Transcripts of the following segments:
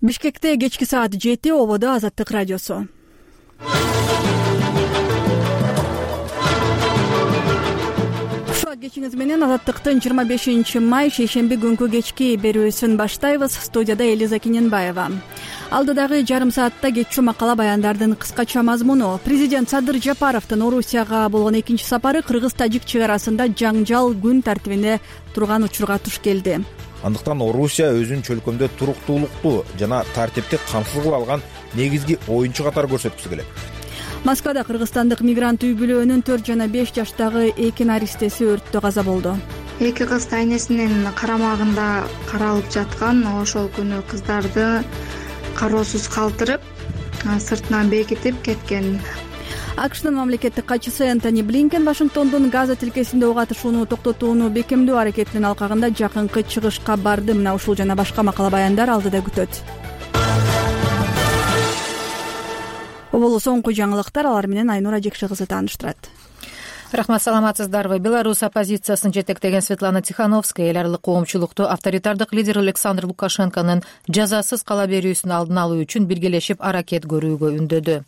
Бишкекте кечки саат 7 ободо Азаттык радиосу. Кечиңиз менен Азаттыктын 25 май шейшемби күнкү кечки берүүсүн баштайбыз. Студияда Элиза Кененбаева. Алдыдагы жарым саатта кетчү макала баяндардын кыскача мазмуну. Президент Садыр Жапаровдун Орусияга болгон экинчи сапары кыргыз-тажик чек арасында жаңжал күн тартибине турган учурга туш келди. Андыктан Орусия өзүнүн чөлкөмдө туруктуулукту жана тартипти камсыз кыла алган негизги оюнчу катары көрсөткүсү келет. Москвада кыргызстандык мигрант үй бүлөнүн 4 жана 5 жаштагы эки наристеси өрттө каза болду. Эки кыз тайнесинин карамагында каралып жаткан ошол күнү кыздарды кароосуз калтырып, сыртынан бекитип кеткен. АКШнын мамлекеттик катчысы Энтони Блинкен Вашингтондун Газа тилкесинде ок атышууну токтотууну бекемдөө аракетинин алкагында жакынкы чыгышка барды. Мына ушул жана башка макала баяндар алдыда күтөт. Бул соңку жаңылыктар, алар менен Айнура Жекши кызы тааныштырат. Рахмат, саламатсыздарбы? Беларусь оппозициясын жетектеген Светлана Тихановская эл аралык коомчулукту авторитардык лидер Александр Лукашенконун жазасыз кала берүүсүн алдын алуу үчүн биргелешип аракет көрүүгө үндөдү.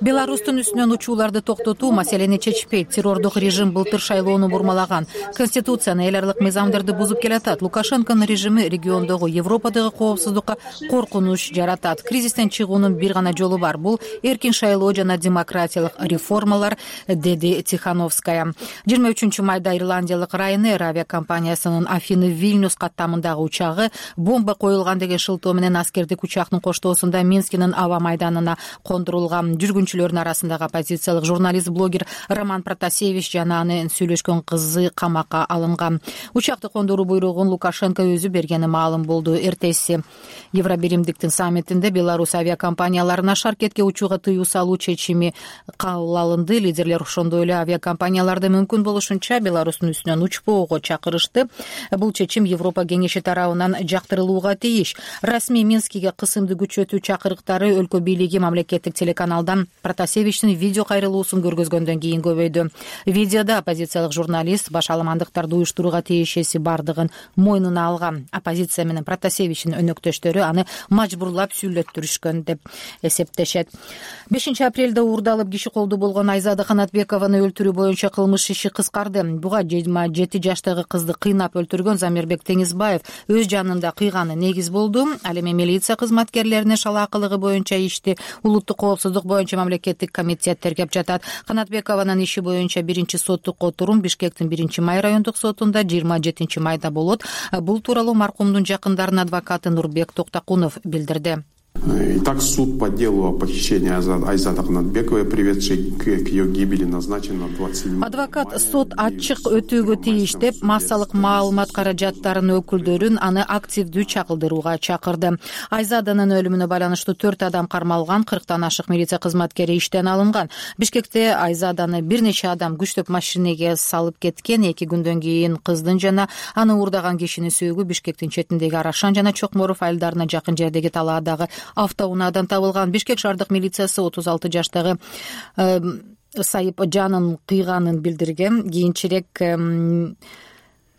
Беларустун үстүнөн учууларды токтотуу маселени чечпейт. Террордук режим былтыр шайлоону бурмалаган. Конституцияны, эл аралык мыйзамдарды бузуп келатат. Лукашенконун режими региондогу, Европадагы коопсуздукка коркунуч жаратат. Кризистен чыгуунун бир гана жолу бар. Бул эркин шайлоо жана демократиялык реформалар, деди Тихановская. 23 майда Ирландиялык Ryanair авиакомпаниясынын Афины-Вильнюс каттамындагы учагы бомба коюлган деген шылтоо менен аскердик учактын коштоосунда Минскинин аба майданына кондурулган. Жүргүнчүлөрдүн арасындагы оппозициялык журналист, блогер Роман Протасевич жана анын сүйлөшкөн кызы камакка алынган. Учакты кондуруу буйругун Лукашенко өзү бергени маалым болду. Эртеси Евробиримдиктин саммитинде Беларусь авиакомпанияларына шаркетке учууга тыюу салуу чечими кабыл алынды. Лидерлер ошондой эле авиакомпанияларды мүмкүн болушунча Беларустун үстүнөн учпоого чакырышты. Бул чечим Европа кеңеши тарабынан жактырылууга тийиш. Расмий Минскиге кысымды күчөтүү чакырыктары өлкө бийлиги мамлекеттик телеканалдан Протасевичтин видео кайрылуусун көргөзгөндөн кийин көбөйдү. Видеодо оппозициялык журналист баш аламандыктарды уюштурууга тиешеси бардыгын мойнуна алган. Оппозиция менен Протасевичтин өнөктөштөрү аны мажбурлап сүйлөттүрүшкөн деп эсептешет. 5 апрелде уурдалып киши колду болгон Айзада Канатбекованы өлтүрүү боюнча кылмыш иши кыскарды. Буга 27 жаштагы кызды кыйнап өлтүргөн Замирбек Теңизбаев өз жанында кыйганы негиз болду. Ал эми милиция кызматкерлеринин шалаакылыгы боюнча ишти улуттук коопсуздук боюнча мамлекеттик комитет тергеп жатат. Канатбекованын иши боюнча биринчи соттук отурум Бишкектин 1-Май райондук сотунда 27 майда болот. Бул тууралуу маркумдун жакындарынын адвокаты Нурбек Токтакунов билдирди. Итак, суд по делу о похищении Айзады Канатбековой, приведшей к ее гибели, назначен на 27. Адвокат сот ачык өтүүгө тийиш деп массалык маалымат каражаттарынын өкүлдөрүн аны активдүү чагылдырууга чакырды. Айзаданын өлүмүнө байланыштуу 4 адам кармалган, 40тан ашык милиция кызматкери иштен алынган. Бишкекте Айзаданы бир нече адам күчтөп машинеге салып кеткен. 2 күндөн кийин кыздын жана аны уурдаган кишинин сөөгү Бишкектин четиндеги Арашан жана Чокморов айылдарына жакын жердеги талаадагы автоунаадан табылган. Бишкек шаардык милициясы 36 жаштагы Сайып жанын кыйганын билдирген. Кийинчерээк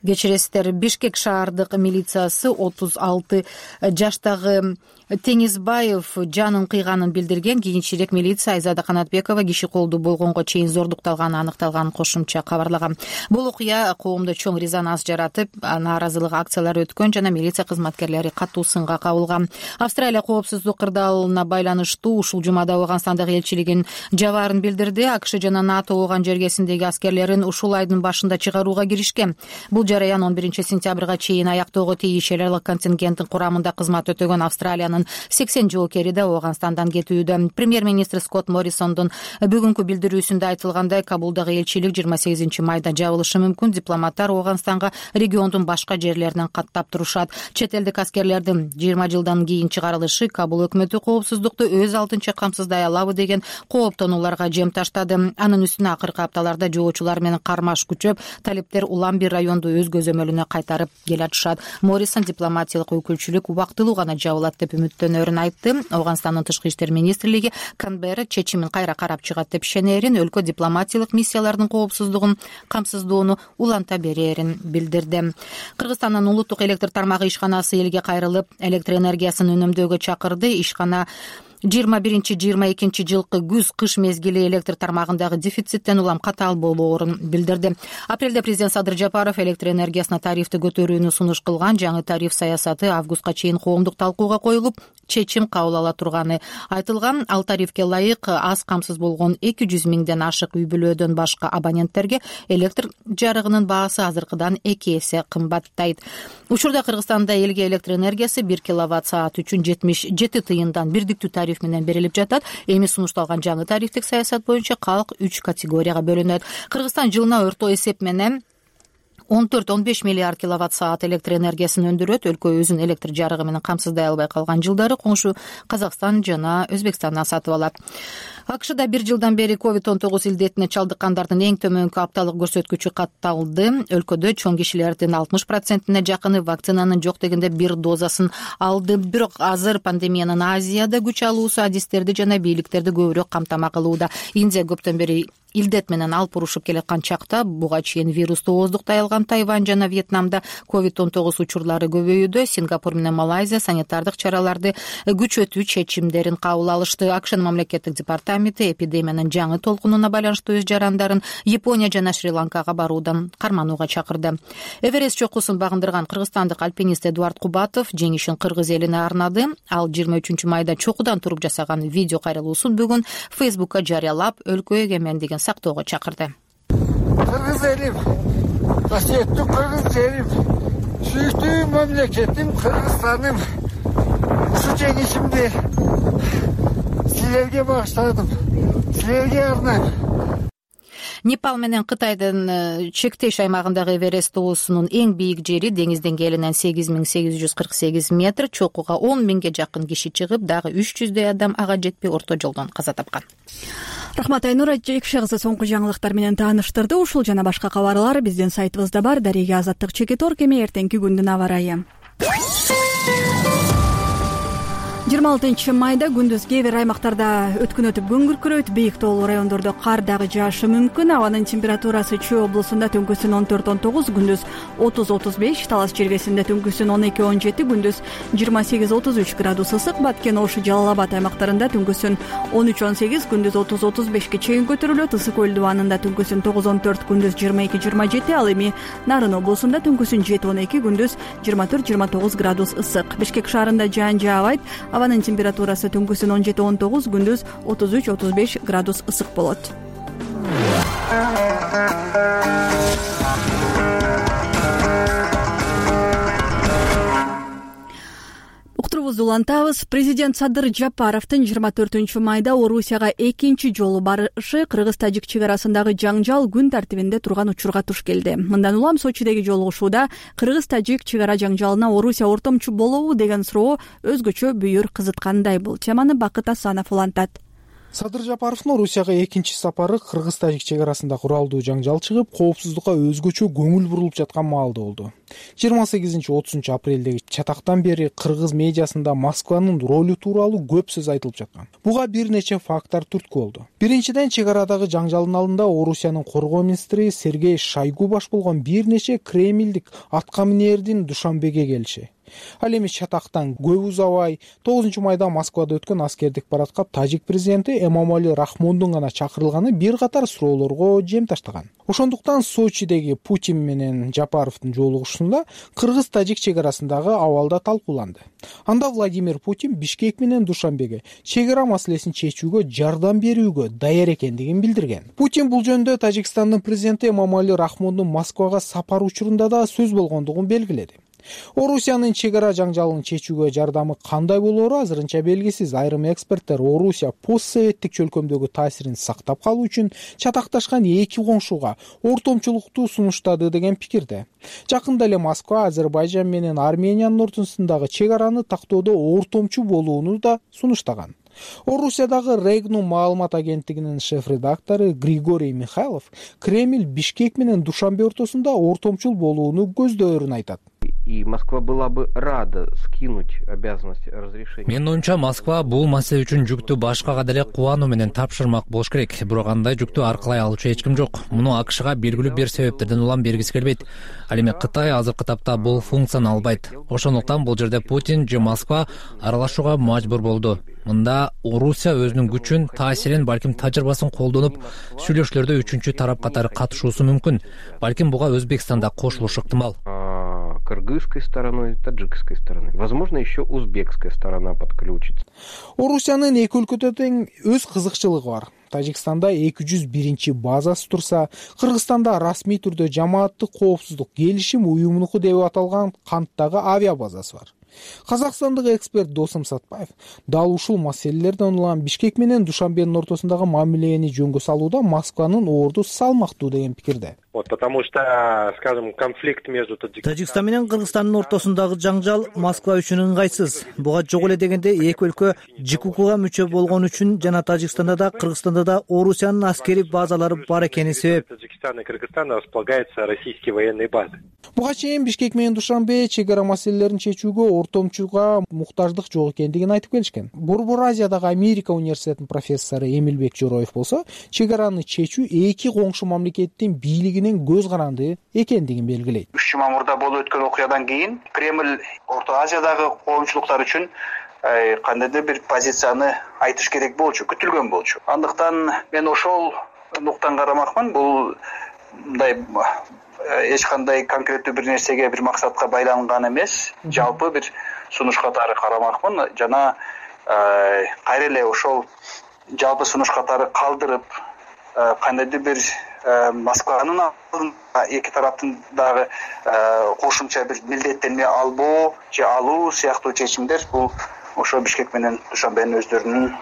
кечиресиздер, Бишкек шаардык милициясы 36 жаштагы Теңизбаев жанын кыйганын билдирген. Кийинчерээк милиция Айзада Канатбекова киши колду болгонго чейин зордукталганы аныкталганын кошумча кабарлаган. Бул окуя коомдо чоң резонанс жаратып, нааразылык акциялары өткөн жана милиция кызматкерлери катуу сынга кабылган. Австралия коопсуздук кырдаалына байланыштуу ушул жумада Ооганстандагы элчилигин жабаарын билдирди. АКШ жана НАТО Ооган жергесиндеги аскерлерин ушул айдын башында чыгарууга киришкен. Бул жараян 11 сентябрга чейин аяктоого тийиш. Эл аралык контингенттин курамында кызмат өтөгөн Австралиянын 80 жоокери да Ооганстандан кетүүдө. Премьер-министр Скотт Моррисондун бүгүнкү билдирүүсүндө айтылгандай, Кабулдагы элчилик 28 майда жабылышы мүмкүн. Дипломаттар Ооганстанга региондун башка жерлеринен каттап турушат. Чет элдик аскерлердин 20 жылдан кийин чыгарылышы Кабул өкмөтү коопсуздукту өз алдынча камсыздай алабы деген кооптонууларга жем таштады. Анын үстүнө акыркы апталарда жоочулар менен кармаш күчөп, талиптер улам бир районду өз көзөмөлүнө кайтарып келатышат. Моррисон дипломатиялык өкүлчүлүк убактылуу гана жабылат деп үмүттөнөрүн айтты. Ооганстандын тышкы иштер министрлиги Канберра чечимин кайра карап чыгат деп ишенерин, өлкө дипломатиялык миссиялардын коопсуздугун камсыздоону уланта берерин билдирди. Кыргызстандын улуттук электр тармагы ишканасы элге кайрылып, электр энергиясын үнөмдөөгө чакырды. Ишкана 21-22 жылкы күз-кыш мезгили электр тармагындагы дефициттен улам катаал болоорун билдирди. Апрелде президент Садыр Жапаров электр энергиясына тарифти көтөрүүнү сунуш кылган. Жаңы тариф саясаты августка чейин коомдук талкууга коюлуп, чечим кабыл ала турганы айтылган. Ал тарифке ылайык аз камсыз болгон 200 миңден ашык үй бүлөдөн башка абоненттерге электр жарыгынын баасы азыркыдан 2 эсе кымбаттайт. Учурда Кыргызстанда элге электр энергиясы 1 киловатт-саат үчүн 77 тыйындан бирдиктүү тариф менен берилип жатат. Эми сунушталган жаңы тарифтик саясат боюнча калк 3 категорияга бөлүнөт. Кыргызстан жылына орто эсеп менен 14-15 миллиард киловатт-саат электр энергиясын өндүрөт. Өлкө өзүн электр жарыгы менен камсыздай албай калган жылдары коңшу Казакстан жана Өзбекстандан сатып алат. АКШда 1 жылдан бери COVID-19 илдетине чалдыккандардын эң төмөнкү апталык көрсөткүчү катталды. Өлкөдө чоң кишилердин 60%-не жакыны вакцинанын жок дегенде 1 дозасын алды. Бирок азыр пандемиянын Азияда күч алуусу адистерди жана бийликтерди көбүрөөк камтама кылууда. Индия көптөн бери илдет менен алып урушуп келаткан чакта буга чейин вирусту ооздуктай алган Тайвань жана Вьетнамда COVID-19 учурлары көбөйүүдө. Сингапур менен Малайзия санитардык чараларды күчөтүү чечимдерин кабыл алышты. АКШнын мамлекеттик департаменти эпидемиянын жаңы толкунуна байланыштуу өз жарандарын Япония жана Шри-Ланкага баруудан карманууга чакырды. Эверест чокусун багындырган кыргызстандык альпинист Эдуард Кубатов жеңишин кыргыз элине арнады. Ал 23 майда чокудан туруп жасаган видео кайрылуусун бүгүн Фейсбукка жарыялап, өлкө эгемендигин сактоого чакырды. Кыргыз элим, касиеттүү кыргыз жерим, сүйүктүү мамлекетим Кыргызстаным. Ушу жеңишимди силерге багыштадым, силерге арнайм. Непал менен Кытайдын чектеш аймагындагы Эверест тоосунун эң бийик жери деңиз деңгээлинен 8848 метр, чокуга 10 миңге жакын киши чыгып, дагы 300дөй адам ага жетпей орто жолдон каза тапкан. Рахмат Айнур Жекше кызы соңку жаңылыктар менен тааныштырды. Ушул жана башка кабарлар биздин сайтыбызда бар. Дарега Азаттык Чекитор кеме эртеңки күндүн аба ырайы. 26 майда күндүз кээ бир аймактарда өткүн өтүп күн күркүрөйт, бийик тоолуу райондордо кар дагы жаашы мүмкүн. Абанын температурасы Чүй облусунда түнкүсүн 14-19, күндүз 30-35, Талас жергесинде түнкүсүн 12-17, күндүз 28-33 градус ысык, Баткен, Ош, Жалал-Абад аймактарында түнкүсүн 13-18, күндүз 30-35 чейин көтөрүлөт. Ысык көл дубанында түнкүсүн 9-14, күндүз 22-27, ал эми Нарын облусунда түнкүсүн 7-12, күндүз 24-29 градус ысык. Бишкек шаарында жаан жаабайт. Абанын температурасы түнкүсүн 17-19, күндүз 33-35 градус ысык болот. Уктурубузду улантабыз. Президент Садыр Жапаровдун 24 майда Орусияга экинчи жолу барышы Кыргыз-Тажик чек арасындагы жаңжал күн тартибинде турган учурга туш келди. Мындан улам Сочидеги жолугушууда Кыргыз-Тажик чек ара жаңжалына Орусия ортомчу болобу деген суроо өзгөчө бүйүр кызыткандай. Бул теманы Бакыт Асанов улантат. Садыр Жапаровдун Орусияга экинчи сапары Кыргыз-Тажик чек арасында куралдуу жаңжал чыгып, коопсуздукка өзгөчө көңүл бурулуп жаткан маалда болду. 28-30 апрелдеги чатактан бери кыргыз медиасында Москванын ролу тууралуу көп сөз айтылып жаткан. Буга бир нече факттар түрткү болду. Биринчиден, чек арадагы жаңжалдын алдында Орусиянын коргоо министри Сергей Шойгу баш болгон бир нече кремлдик атка минердин Душанбеге келиши. Ал эми чатактан көп узабай 9 майда Москвада өткөн аскердик парадка тажик президенти Эмомали Рахмондун гана чакырылганы бир катар суроолорго жем таштаган. Ошондуктан Сочидеги Путин менен Жапаровдун жолугушуусунда Кыргыз-Тажик чек арасындагы абалда талкууланды. Анда Владимир Путин Бишкек менен Душанбеге чек ара маселесин чечүүгө жардам берүүгө даяр экендигин билдирген. Путин бул жөнүндө Тажикстандын президенти Эмомали Рахмондун Москвага сапар учурунда да сөз болгондугун белгиледи. Орусиянын чек ара жаңжалын чечүүгө жардамы кандай болоору азырынча белгисиз. Айрым эксперттер Орусия постсоветтик чөлкөмдөгү таасирин сактап калуу үчүн чатакташкан эки коңшуга ортомчулукту сунуштады деген пикирде. Жакында эле Москва Азербайжан менен Армениянын ортосундагы чек араны тактоодо ортомчу болууну да сунуштаган. Орусиядагы Регнум маалымат агенттигинин шеф-редактору Григорий Михайлов Кремль Бишкек менен Душанбе ортосунда ортомчул болууну көздөөрүн айтат. И Москва была бы рада скинуть обязанность разрешения. Менин оюмча Москва бул маселе үчүн жүктү башкага деле кубануу менен тапшырмак болуш керек. Бирок андай жүктү аркылай алуучу эч ким жок. Муну АКШга белгилүү бир себептерден улам бергиси келбейт. Ал эми Кытай азыркы тапта бул функцияны албайт. Ошондуктан бул жерде Путин же Москва аралашууга мажбур болду. Мында Орусия өзүнүн күчүн, таасирин, балким тажрыйбасын колдонуп, сүйлөшүүлөрдө үчүнчү тарап катары катышуусу мүмкүн. Балким буга Өзбекстан да кошулушу ыктымал. Кыргызской стороной, таджикской стороной. Возможно, еще узбекская сторона подключится. Орусиянын эки өлкөдө тең өз кызыкчылыгы бар. Тажикстанда 201 базасы турса, Кыргызстанда расмий түрдө жамааттык коопсуздук келишим уюмунуку деп аталган Канттагы авиа базасы бар. Казакстандык эксперт Досум Сатпаев дал ушул маселелерден улам Бишкек менен Душанбенин ортосундагы мамилени жөнгө салууда Москванын орду салмактуу деген пикирде. Потому что, скажем, конфликт между Тажикстан менен Кыргызстандын ортосундагы жаңжал Москва үчүн ыңгайсыз. Буга жок эле дегенде эки өлкө ЖКУга мүчө болгон үчүн жана Тажикстанда да, Кыргызстанда да Орусиянын аскери базалары бар экени себеп. Таджикстан и Кыргызстан располагаются российские военные базы. Буга чейин Бишкек менен Душанбе чек ара маселелерин чечүүгө ортомчуга муктаждык жок экендигин айтып келишкен. Борбор Азиядагы Америка университетинин профессору Эмилбек Жороев болсо, чек араны чечүү эки коңшу мамлекеттин бийлигинин көз каранды экендигин белгилейт. 3 мамырда болуп өткөн окуядан кийин Кремль Орто Азиядагы коомчулуктар үчүн кандайдыр бир позицияны айтыш керек болчу, күтүлгөн болчу. Андыктан мен ошол нуктан карамакмын. Бул мындай эч кандай конкреттүү бир нерсеге, бир максатка байланган эмес, жалпы бир сунуш катары карамакмын. Жана кайра эле ошол жалпы сунуш катары калдырып, кандайдыр бир Москванын алдында эки тараптын дагы кошумча бир милдеттенме албоо же алуу сыяктуу чечимдер бул ошо Бишкек менен Душанбенин өздөрүнүн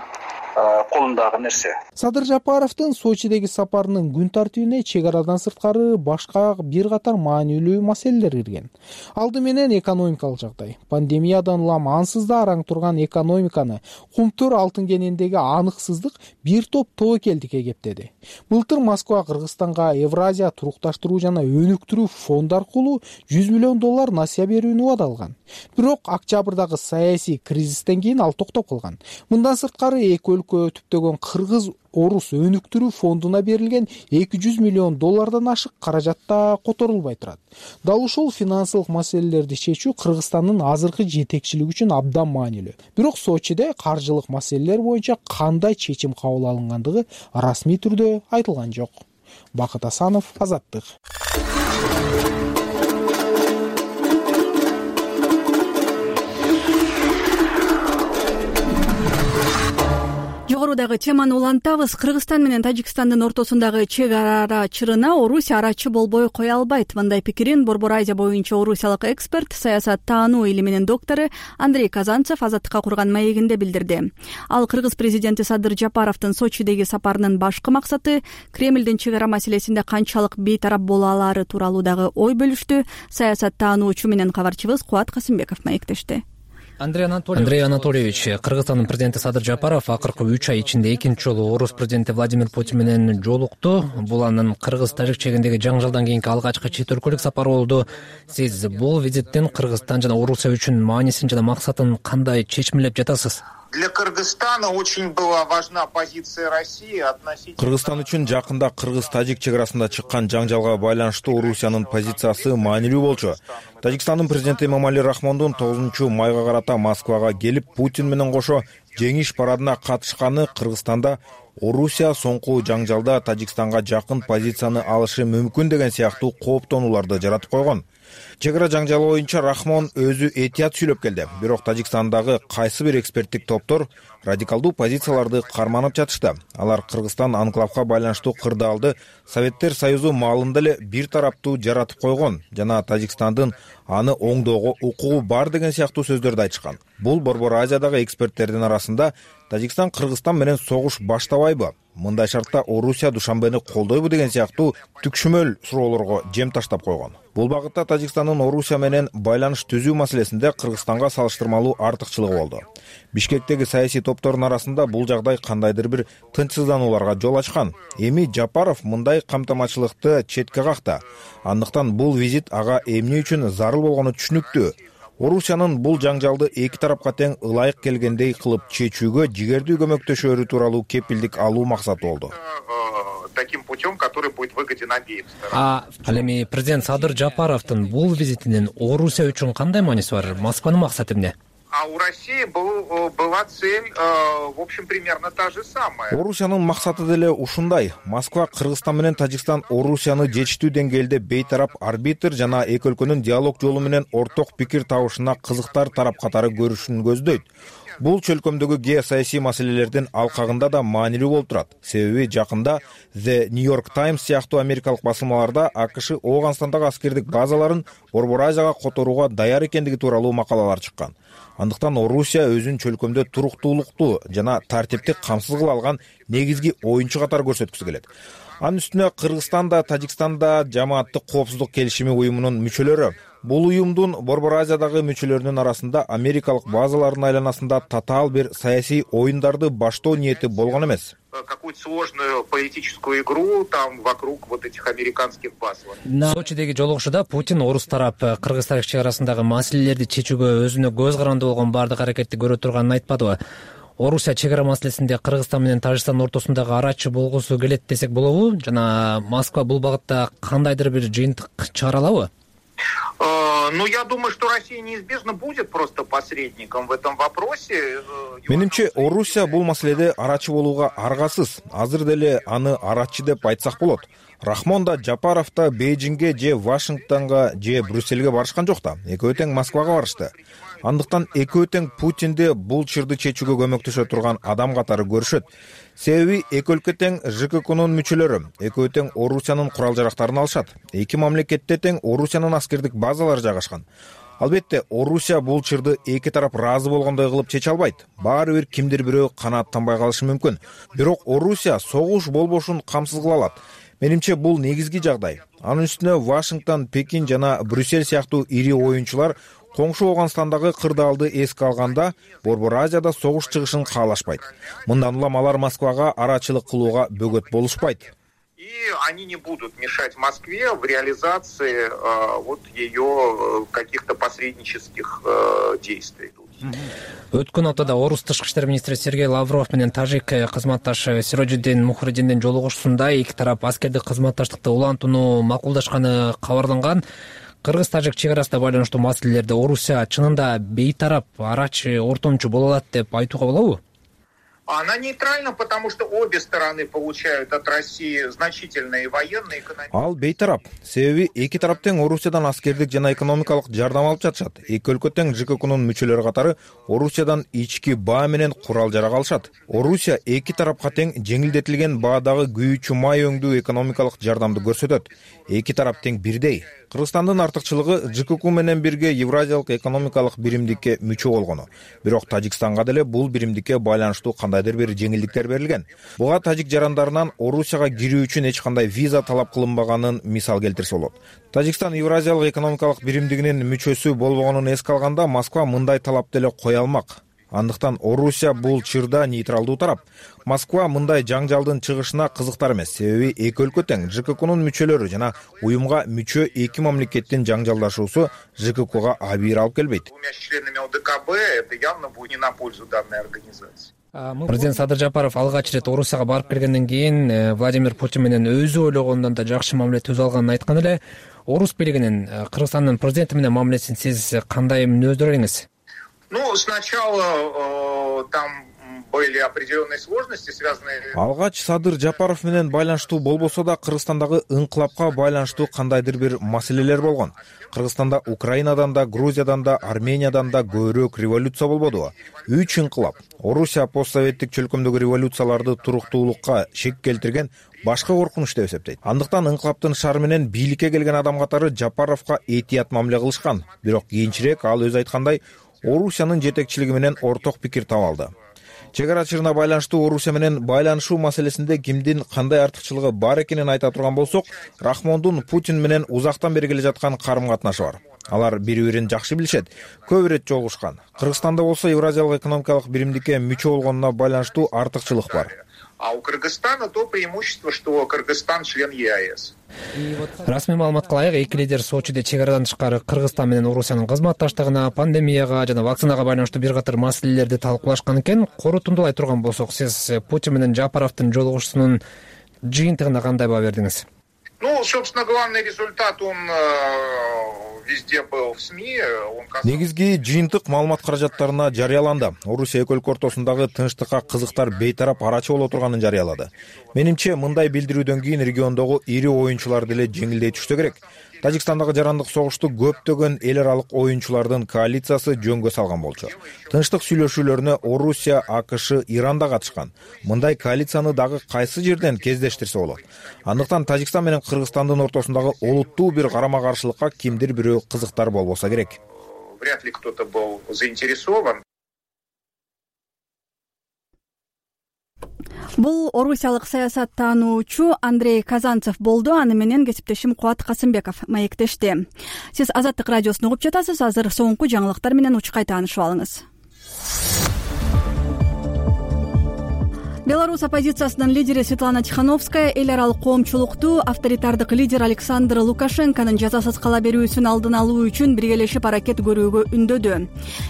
колундагы нерсе. Садыр Жапаровдун Сочидеги сапарынын күн тартибине чек арадан сырткары башка бир катар маанилүү маселелер кирген. Алды менен экономикалык жагдай. Пандемиядан улам ансыз да араң турган экономиканы кумтур алтын кенендеги аныксыздык бир топ тобокелдикке кептеди. Былтыр Москва Кыргызстанга Евразия турукташтыруу жана өнүктүрүү фонду аркылуу $100 миллион насыя берүүнү убадалган. Бирок октябрдагы саясий кризистен кийин ал токтоп калган. Мындан сырткары эки өлкө түптөгөн Кыргыз-Орус өнүктүрүү фондуна берилген $200 миллион ашык каражат да которулбай турат. Дал ушул финансылык маселелерди чечүү Кыргызстандын азыркы жетекчилиги үчүн абдан маанилүү. Бирок Сочиде каржылык маселелер боюнча кандай чечим кабыл алынгандыгы расмий түрдө айтылган жок. Бакыт Асанов, Азаттык. Жогорудагы теманы улантабыз. Кыргызстан менен Тажикстандын ортосундагы чек ара чырына Орусия арачы болбой кое албайт. Мындай пикирин Борбор Азия боюнча орусиялык эксперт, саясаттануу илиминин доктору Андрей Казанцев Азаттыкка курган маегинде билдирди. Ал Кыргыз президенти Садыр Жапаровдун Сочидеги сапарынын башкы максаты Кремлдин чек ара маселесинде канчалык бейтарап боло алары тууралуу дагы ой бөлүштү. Саясаттануучу менен кабарчыбыз Кубат Касымбеков маектешти. Андрей Анатольевич, Кыргызстандын президенти Садыр Жапаров акыркы 3 ай ичинде экинчи жолу Орус президенти Владимир Путин менен жолукту. Бул анын Кыргыз-Тажик чегиндеги жаңжалдан кийинки алгачкы чет өлкөлүк сапары болду. Сиз бул визиттин Кыргызстан жана Орусия үчүн маанисин жана максатын кандай чечимлеп жатасыз? Для Кыргызстана очень была важна позиция России относительно... Кыргызстан үчүн жакында Кыргыз-Тажик чек арасында чыккан жаңжалга байланыштуу Орусиянын позициясы маанилүү болчу. Тажикстандын президенти Эмомали Рахмондун 9 майга карата Москвага келип, Путин менен кошо жеңиш парадына катышканы Кыргызстанда Орусия соңку жаңжалда Тажикстанга жакын позицияны алышы мүмкүн деген сыяктуу кооптонууларды жаратып койгон. Чек ара жаңжалы боюнча Рахмон өзү этият сүйлөп келди. Бирок Тажикстандагы кайсы бир эксперттик топтор радикалдуу позицияларды карманып жатышты. Алар Кыргызстан анклавга байланыштуу кырдаалды Советтер Союзу маалында эле бир тараптуу жаратып койгон жана Тажикстандын аны оңдоого укугу бар деген сыяктуу сөздөрдү айтышкан. Бул Борбор Азиядагы эксперттердин арасында Тажикстан Кыргызстан менен согуш баштабайбы? Мындай шартта Орусия Душанбени колдойбу деген сыяктуу түкшүмөл суроолорго жем таштап койгон. Бул багытта Тажикстандын Орусия менен байланыш түзүү маселесинде Кыргызстанга салыштырмалуу артыкчылыгы болду. Бишкектеги саясий топтордун арасында бул жагдай кандайдыр бир тынчсызданууларга жол ачкан. Эми Жапаров мындай камтамачылыкты четке какты. Андыктан бул визит ага эмне үчүн зарыл болгону түшүнүктүү. Орусиянын бул жаңжалды эки тарапка тең ылайык келгендей кылып чечүүгө жигердүү көмөктөшөөрү тууралуу кепилдик алуу максаты болду. Таким путем, который будет выгоден обеим сторонам. Ал эми президент Садыр Жапаровдун бул визитинин Орусия үчүн кандай мааниси бар? Москванын максаты эмне? А у России была цель, в общем, примерно та же самая. Орусиянын максаты деле ушундай. Москва Кыргызстан менен Тажикстан Орусияны жетиштүү деңгээлде бейтарап арбитр жана эки өлкөнүн диалог жолу менен орток пикир табышына кызыктар тарап катары көрүшүн көздөйт. Бул чөлкөмдөгү геосаясий маселелердин алкагында да маанилүү болуп турат. Себеби жакында The New York Times сыяктуу америкалык басылмаларда АКШ Ооганстандагы аскердик базаларын Борбор Азияга которууга даяр экендиги тууралуу макалалар чыккан. Андыктан Орусия өзүн чөлкөмдө туруктуулукту жана тартипти камсыз кыла алган негизги оюнчу катары көрсөткүсү келет. Анын үстүнө Кыргызстан да Тажикстан да Жамааттык коопсуздук келишими уюмунун мүчөлөрү. Бул уюмдун Борбор Азиядагы мүчөлөрүнүн арасында америкалык базалардын айланасында татаал бир саясий оюндарды баштоо ниети болгон эмес. Какую-то сложную политическую игру там вокруг вот этих американских баз. Сочидеги жолугушууда Путин орус тарап Кыргыз тарих чек арасындагы маселелерди чечүүгө өзүнө көз каранды болгон баардык аракетти көрө турганын айтпадыбы? Орусия чек ара маселесинде Кыргызстан менен Тажикстан ортосундагы арачы болгусу келет десек болобу? Жана Москва бул багытта кандайдыр бир жыйынтык чыгара алабы? Ну, я думаю, что Россия неизбежно будет просто посредником в этом вопросе. Менимче, Орусия бул маселеде арачы болууга аргасыз. Азыр деле аны арачы деп айтсак болот. Рахмон да Жапаров да Бейжиңге же Вашингтонго же Брюссельге барышкан жок да. Экөө тең Москвага барышты. Андыктан экөө тең Путинди бул чырды чечүүгө көмөктөшө турган адам катары көрүшөт. Себеби эки өлкө тең ЖККнун мүчөлөрү, экөө тең Орусиянын курал жарактарын алышат. Эки мамлекетте тең Орусиянын аскердик базалары жайгашкан. Албетте, Орусия бул чырды эки тарап ыраазы болгондой кылып чече албайт. Баары бир кимдир бирөө канааттанбай калышы мүмкүн. Бирок Орусия согуш болбошун камсыз кыла алат. Менимче бул негизги жагдай. Анын үстүнө Вашингтон, Пекин жана Брюссель сыяктуу ири оюнчулар коңшу Ооганстандагы кырдаалды эске алганда Борбор Азияда согуш чыгышын каалашпайт. Мындан улам алар Москвага арачылык кылууга бөгөт болушпайт. И они не будут мешать Москве в реализации вот ее каких-то посреднических действий. Өткөн аптада орус тышкы иштер министри Сергей Лавров менен тажик кызматташы Сироджиддин Мухридиндин жолугушуусунда эки тарап аскердик кызматташтыкты улантууну макулдашканы кабарланган. Кыргыз-тажик чек арасында байланыштуу маселелерде Орусия чынында бейтарап арачы ортомчу боло алат деп айтууга болобу? Она нейтральна, потому что обе стороны получают от России значительные военные и экономические. Ал бейтарап. Себеби эки тарап тең Орусиядан аскердик жана экономикалык жардам алып жатышат. Эки өлкө тең ЖККнун мүчөлөрү катары Орусиядан ички баа менен курал жарак алышат. Орусия эки тарапка тең жеңилдетилген баадагы күйүүчү май өңдүү экономикалык жардамды көрсөтөт. Эки тарап тең бирдей. Кыргызстандын артыкчылыгы ЖКК менен бирге Евразиялык экономикалык биримдикке мүчө болгону. Бирок Тажикстанга деле бул биримдикке байланыштуу кандайдыр бир жеңилдиктер берилген. Буга тажик жарандарынан Орусияга кирүү үчүн эч кандай виза талап кылынбаганын мисал келтирсе болот. Тажикстан Евразиялык экономикалык биримдигинин мүчөсү болбогонун эске алганда Москва мындай талап деле кое алмак. Андыктан Орусия бул чырда нейтралдуу тарап. Москва мындай жаңжалдын чыгышына кызыктар эмес. Себеби эки өлкө тең ЖККнун мүчөлөрү жана уюмга мүчө эки мамлекеттин жаңжалдашуусу ЖККга абийир алып келбейт. Двумя членами ОДКБ это явно будет не на пользу данной организации. Президент Садыр Жапаров алгач ирет Орусияга барып келгенден кийин Владимир Путин менен өзү ойлогондон да жакшы мамиле түзүп алганын айткан эле. Орус бийлигинин Кыргызстандын президенти менен мамилесин сиз кандай мүнөздөр элеңиз? Ну, сначала там были определенные сложности, связанные... Алгач Садыр Жапаров менен байланыштуу болбосо да Кыргызстандагы инкылапка байланыштуу кандайдыр бир маселелер болгон. Кыргызстанда Украинадан да, Грузиядан да, Армениядан да көбүрөөк революция болбодубу? 3 инкылап. Орусия постсоветтик чөлкөмдөгү революцияларды туруктуулукка шек келтирген башка коркунуч деп эсептейт. Андыктан инкылаптын шары менен бийликке келген адам катары Жапаровго этият мамиле кылышкан. Бирок кийинчерээк ал өзү айткандай Орусиянын жетекчилиги менен орток пикир таба алды. Чек ара чыгына байланыштуу Орусия менен байланышуу маселесинде кимдин кандай артыкчылыгы бар экенин айта турган болсок, Рахмондун Путин менен узактан бери келе жаткан карым-катнашы бар. Алар бири-бирин жакшы билишет, көп ирет жолугушкан. Кыргызстанда болсо Евразиялык экономикалык биримдикке мүчө болгонуна байланыштуу артыкчылык бар. А у Кыргызстана то преимущество, что Кыргызстан член ЕАЭС. Расмий маалыматка ылайык, эки лидер Сочиде чек арадан тышкары Кыргызстан менен Орусиянын кызматташтыгына, пандемияга жана вакцинага байланыштуу бир катар маселелерди талкуулашкан экен. Корутундулай турган болсок, сиз Путин менен Жапаровдун жолугушуусунун жыйынтыгына кандай баа бердиңиз? Ну, собственно, главный результат, он везде был в СМИ. Негизги жыйынтык маалымат каражаттарына жарыяланды. Орусия эки өлкө ортосундагы тынчтыкка кызыктар бейтарап арачы боло турганын жарыялады. Менимче, мындай билдирүүдөн кийин региондогу ири оюнчулар деле жеңилдей түшсө керек. Тажикстандагы жарандык согушту көптөгөн эл аралык оюнчулардын коалициясы жөнгө салган болчу. Тынчтык сүйлөшүүлөрүнө Орусия, АКШ, Иран да катышкан. Мындай коалицияны дагы кайсы жерден кездештирсе болот? Андыктан Тажикстан менен Кыргызстандын ортосундагы олуттуу бир карама-каршылыкка кимдир бирөө кызыктар болбосо керек. Вряд ли кто-то был заинтересован. Бул орусиялык саясаттануучу Андрей Казанцев болду. Аны менен кесиптешим Кубат Касымбеков маектешти. Сиз Азаттык радиосун угуп жатасыз. Азыр соңку жаңылыктар менен учкай таанышып алыңыз. Беларусь оппозициясынын лидери Светлана Тихановская эл аралык коомчулукту авторитардык лидер Александр Лукашенконун жазасыз кала берүүсүн алдын алуу үчүн биргелешип аракет көрүүгө үндөдү.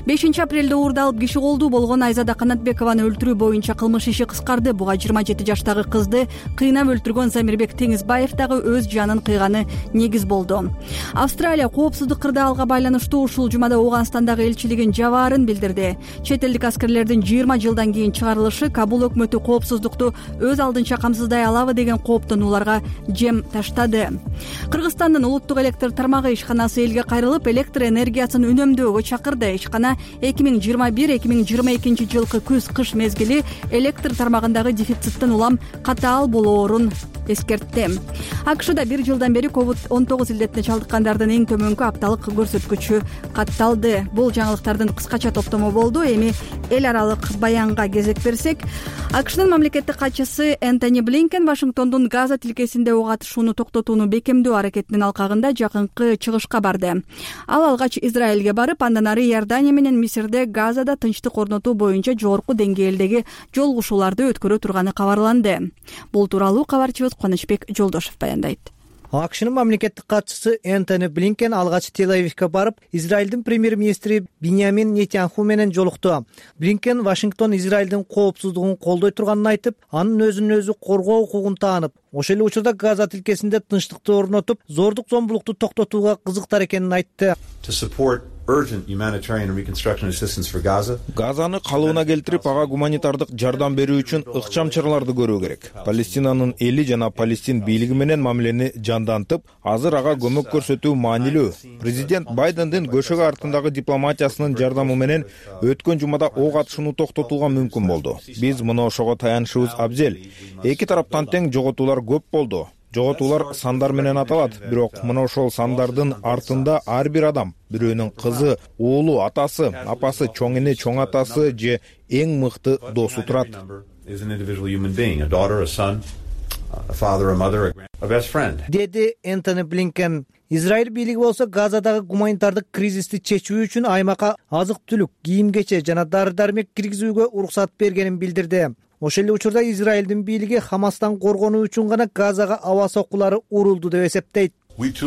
5-апрелде уурдалып киши колдуу болгон Айзада Канатбекованы өлтүрүү боюнча кылмыш иши кыскарды. Буга 27 жаштагы кызды кыйнап өлтүргөн Замирбек Теңизбаев дагы өз жанын кыйганы негиз болду. Австралия коопсуздук кырдаалга байланыштуу ушул жумада Ооганстандагы элчилигин жабаарын билдирди. Чет элдик аскерлердин 20 жылдан кийин чыгарылышы Кабул өкмөтү коопсуздукту өз алдынча камсыздай алабы деген кооптонууларга жем таштады. Кыргызстандын улуттук электр тармагы ишканасы элге кайрылып, электр энергиясын үнөмдөөгө чакырды. Ишкана 2021-2022 жылкы күз-кыш мезгили электр тармагындагы дефициттин улам катаал болоорун эскертти. АКШда бир жылдан бери COVID-19 илдетине чалдыккандардын эң төмөнкү апталык көрсөткүчү катталды. Бул жаңылыктардын кыскача топтому болду. Эми эл аралык баянга кезек берсек, АКШнын мамлекеттик катчысы Энтони Блинкен Вашингтондун Газа тилкесинде ок атышууну токтотууну бекемдөө аракетинин алкагында жакынкы чыгышка барды. Ал алгач Израилге барып, андан ары Иордания менен Мисирде Газада тынчтык орнотуу боюнча жогорку деңгээлдеги жолугушууларды өткөрө турганы кабарланды. Бул тууралуу кабарчыбыз Кубанычбек Жолдошев баяндайт. АКШнын мамлекеттик катчысы Энтони Блинкен алгач Тель-Авивге барып, Израилдин премьер-министри Биньямин Нетаньяху менен жолукту. Блинкен Вашингтон Израилдин коопсуздугун колдой турганын айтып, анын өзүн өзү коргоо укугун таанып, ошол эле учурда Газа тилкесинде тынчтыкты орнотуп, зордук-зомбулукту токтотууга кызыктар экенин айтты. Газаны калыбына келтирип, ага гуманитардык жардам берүү үчүн ыкчам чараларды көрүү керек. Палестинанын эли жана Палестин бийлиги менен мамилени жандантып, азыр ага көмөк көрсөтүү маанилүү. Президент Байдендин көшөгө артындагы дипломатиясынын жардамы менен өткөн жумада ок атышууну токтотууга мүмкүн болду. Биз муну ошого таянышыбыз абзел. Эки тараптан тең жоготуулар көп болду. Жоготуулар сандар менен аталат, бирок мына ошол сандардын артында ар бир адам, бирөөнүн кызы, уулу, атасы, апасы, чоң эне, чоң атасы же эң мыкты досу турат. Деди Энтони Блинкен. Израиль бийлиги болсо Газадагы гуманитардык кризисти чечүү үчүн аймакка азык-түлүк, кийим-кече жана дары-дармек киргизүүгө уруксат бергенин билдирди. Ошол эле учурда Израилдин бийлиги Хамастан коргонуу үчүн гана Газага аба соккулары урулду деп эсептейт. Биз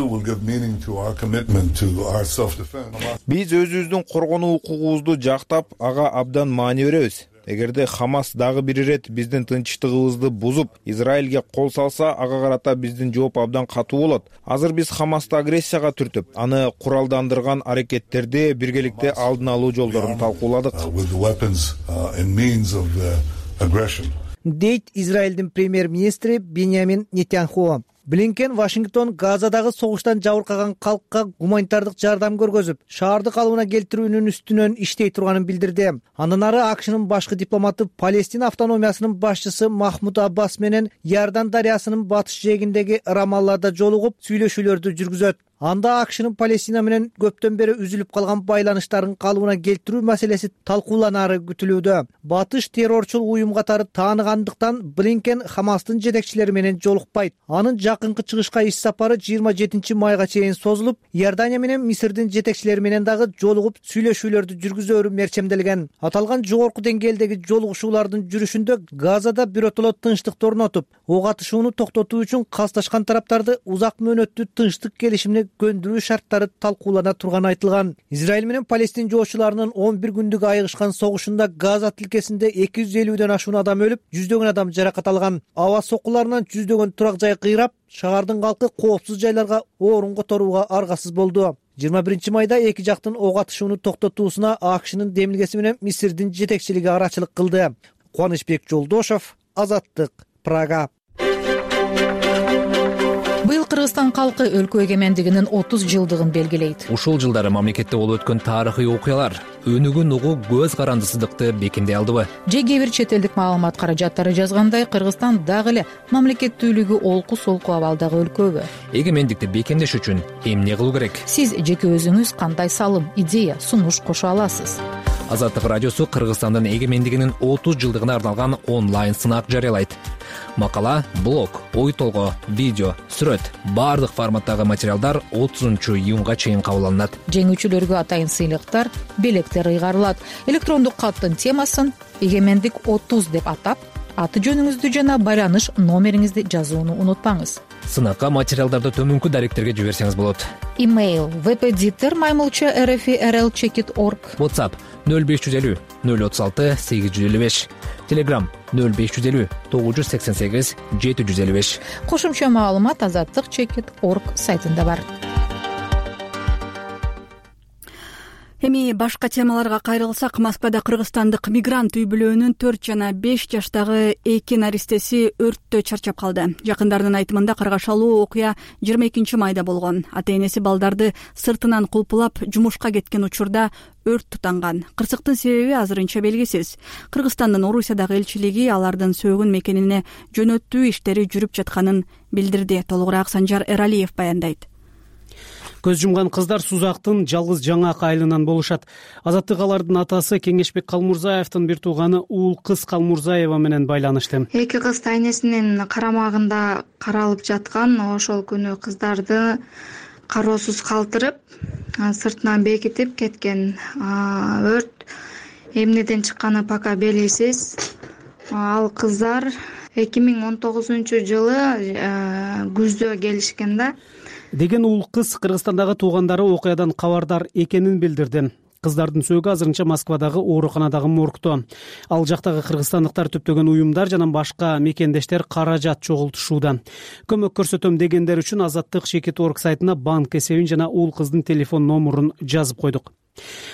өзүбүздүн коргонуу укугубузду жактап, ага абдан маани беребиз. Эгерде Хамас дагы бир ирет биздин тынчтыгыбызды бузуп, Израилге кол салса, ага карата биздин жооп абдан катуу болот. Азыр биз Хамасты агрессияга түртүп, аны куралдандырган аракеттерди биргеликте алдын алуу жолдорун талкууладык. Дейт Израилдин премьер-министри Биньямин Нетаньяху. Блинкен Вашингтон Газадагы согуштан жабыркаган калкка гуманитардык жардам көргөзүп, шаарды калыбына келтирүүнүн үстүнөн иштей турганын билдирди. Андан ары АКШнын башкы дипломаты Палестина автономиясынын башчысы Махмуд Аббас менен Иордан дарыясынын батыш жээгиндеги Рамаллада жолугуп, сүйлөшүүлөрдү жүргүзөт. Анда АКШнын Палестина менен көптөн бери үзүлүп калган байланыштарын калыбына келтирүү маселеси талкууланары күтүлүүдө. Батыш террорчул уюм катары тааныгандыктан Блинкен Хамастын жетекчилери менен жолукпайт. Анын жакынкы чыгышка иш сапары 27 майга чейин созулуп, Иордания менен Мисирдин жетекчилери менен дагы жолугуп сүйлөшүүлөрдү жүргүзөөрү мерчемделген. Аталган жогорку деңгээлдеги жолугушуулардын жүрүшүндө Газада биротоло тынчтыкты орнотуп, ок атышууну токтотуу үчүн касташкан тараптарды узак мөөнөттүү тынчтык келишимине көндүрүү шарттары талкуулана турганы айтылган. Израиль менен Палестин жоочуларынын 11 күндүк айыгышкан согушунда Газа тилкесинде 250ден ашуун адам өлүп, жүздөгөн адам жаракат алган. Аба соккуларынан жүздөгөн турак жай кыйрап, шаардын калкы коопсуз жайларга орун которууга аргасыз болду. 21 майда эки жактын ок атышууну токтотуусуна АКШнын демилгеси менен Мисирдин жетекчилиги арачылык кылды. Кубанычбек Жолдошов, Азаттык, Прага. Быйыл Кыргызстан калкы өлкө эгемендигинин 30 жылдыгын белгилейт. Ушул жылдары мамлекетте болуп өткөн тарыхый окуялар өнүгүн угуу көз карандысыздыкты бекемдей алдыбы? Же кээ бир чет элдик маалымат каражаттары жазгандай, Кыргызстан дагы эле мамлекеттүүлүгү олку-солку абалдагы өлкөбү? Эгемендикти бекемдеш үчүн эмне кылуу керек? Сиз жеке өзүңүз кандай салым, идея, сунуш кошо аласыз? Азаттык радиосу Кыргызстандын эгемендигинин 30 жылдыгына арналган онлайн сынак жарыялайт. Макала, блог, ой толгоо, видео, сүрөт, баардык форматтагы материалдар 30-июнга чейин кабыл алынат. Жеңүүчүлөргө атайын сыйлыктар, белектер ыйгарылат. Электрондук каттын темасын «Эгемендик 30» деп атап, аты жөнүңүздү жана байланыш номериңизди жазууну унутпаңыз. Сынакка материалдарды төмөнкү даректерге жиберсеңиз болот. Имейл vpditer@rl-checkit.org. WhatsApp 0550 036 855. Telegram 0550 988 755. Кошумча маалымат azattik.checkit.org сайтында бар. Эми башка темаларга кайрылсак, Москвада кыргызстандык мигрант үй бүлөнүн 4 жана 5 жаштагы эки наристеси өрттө чарчап калды. Жакындарынын айтымында каргашалуу окуя 22 майда болгон. Ата-энеси балдарды сыртынан кулпулап жумушка кеткен учурда өрт тутанган. Кырсыктын себеби азырынча белгисиз. Кыргызстандын Орусиядагы элчилиги алардын сөөгүн мекенине жөнөтүү иштери жүрүп жатканын билдирди. Толугураак Санжар Эралиев баяндайт. Көз жумган кыздар Сузактын жалгыз жаңак айылынан болушат. Азаттык алардын атасы Кеңешбек Калмурзаевдин бир тууганы Уул кыз Калмурзаева менен байланышты. Эки кыз ата-энесинин карамагында каралып жаткан. Ошол күнү кыздарды кароосуз калтырып, сыртынан бекитип кеткен. Өрт эмнеден чыкканы пока белгисиз. Ал кыздар 2019-жылы күздө келишкен да. Деген Уул кыз Кыргызстандагы туугандары окуядан кабардар экенин билдирди. Кыздардын сөөгү азырынча Москвадагы ооруканадагы моргто. Ал жактагы кыргызстандыктар төптөгөн уюмдар жана башка мекендештер каражат чогултушууда. Көмөк көрсөтөм дегендер үчүн azattik.checkit.org сайтына банк эсебин жана Уул кыздын телефон номурун жазып койдук.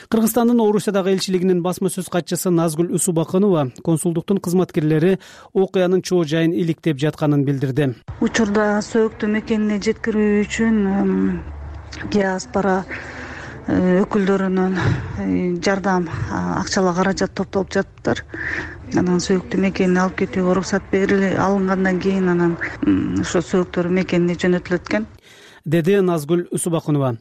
Кыргызстандын Орусиядагы элчилигинин басма сөз катчысы Назгүл Усубакынова консулдуктун кызматкерлери окуянын чоо жайын иликтеп жатканын билдирди. Учурда сөөктү мекенине жеткирүү үчүн диаспора өкүлдөрүнүн жардам акчалык каражат топтолуп жатыптыр. Анан сөөктү мекенине алып кетүүгө уруксат алынгандан кийин анан ошо сөөктөр мекенине жөнөтүлөт экен, деди Назгүл Усубакынова.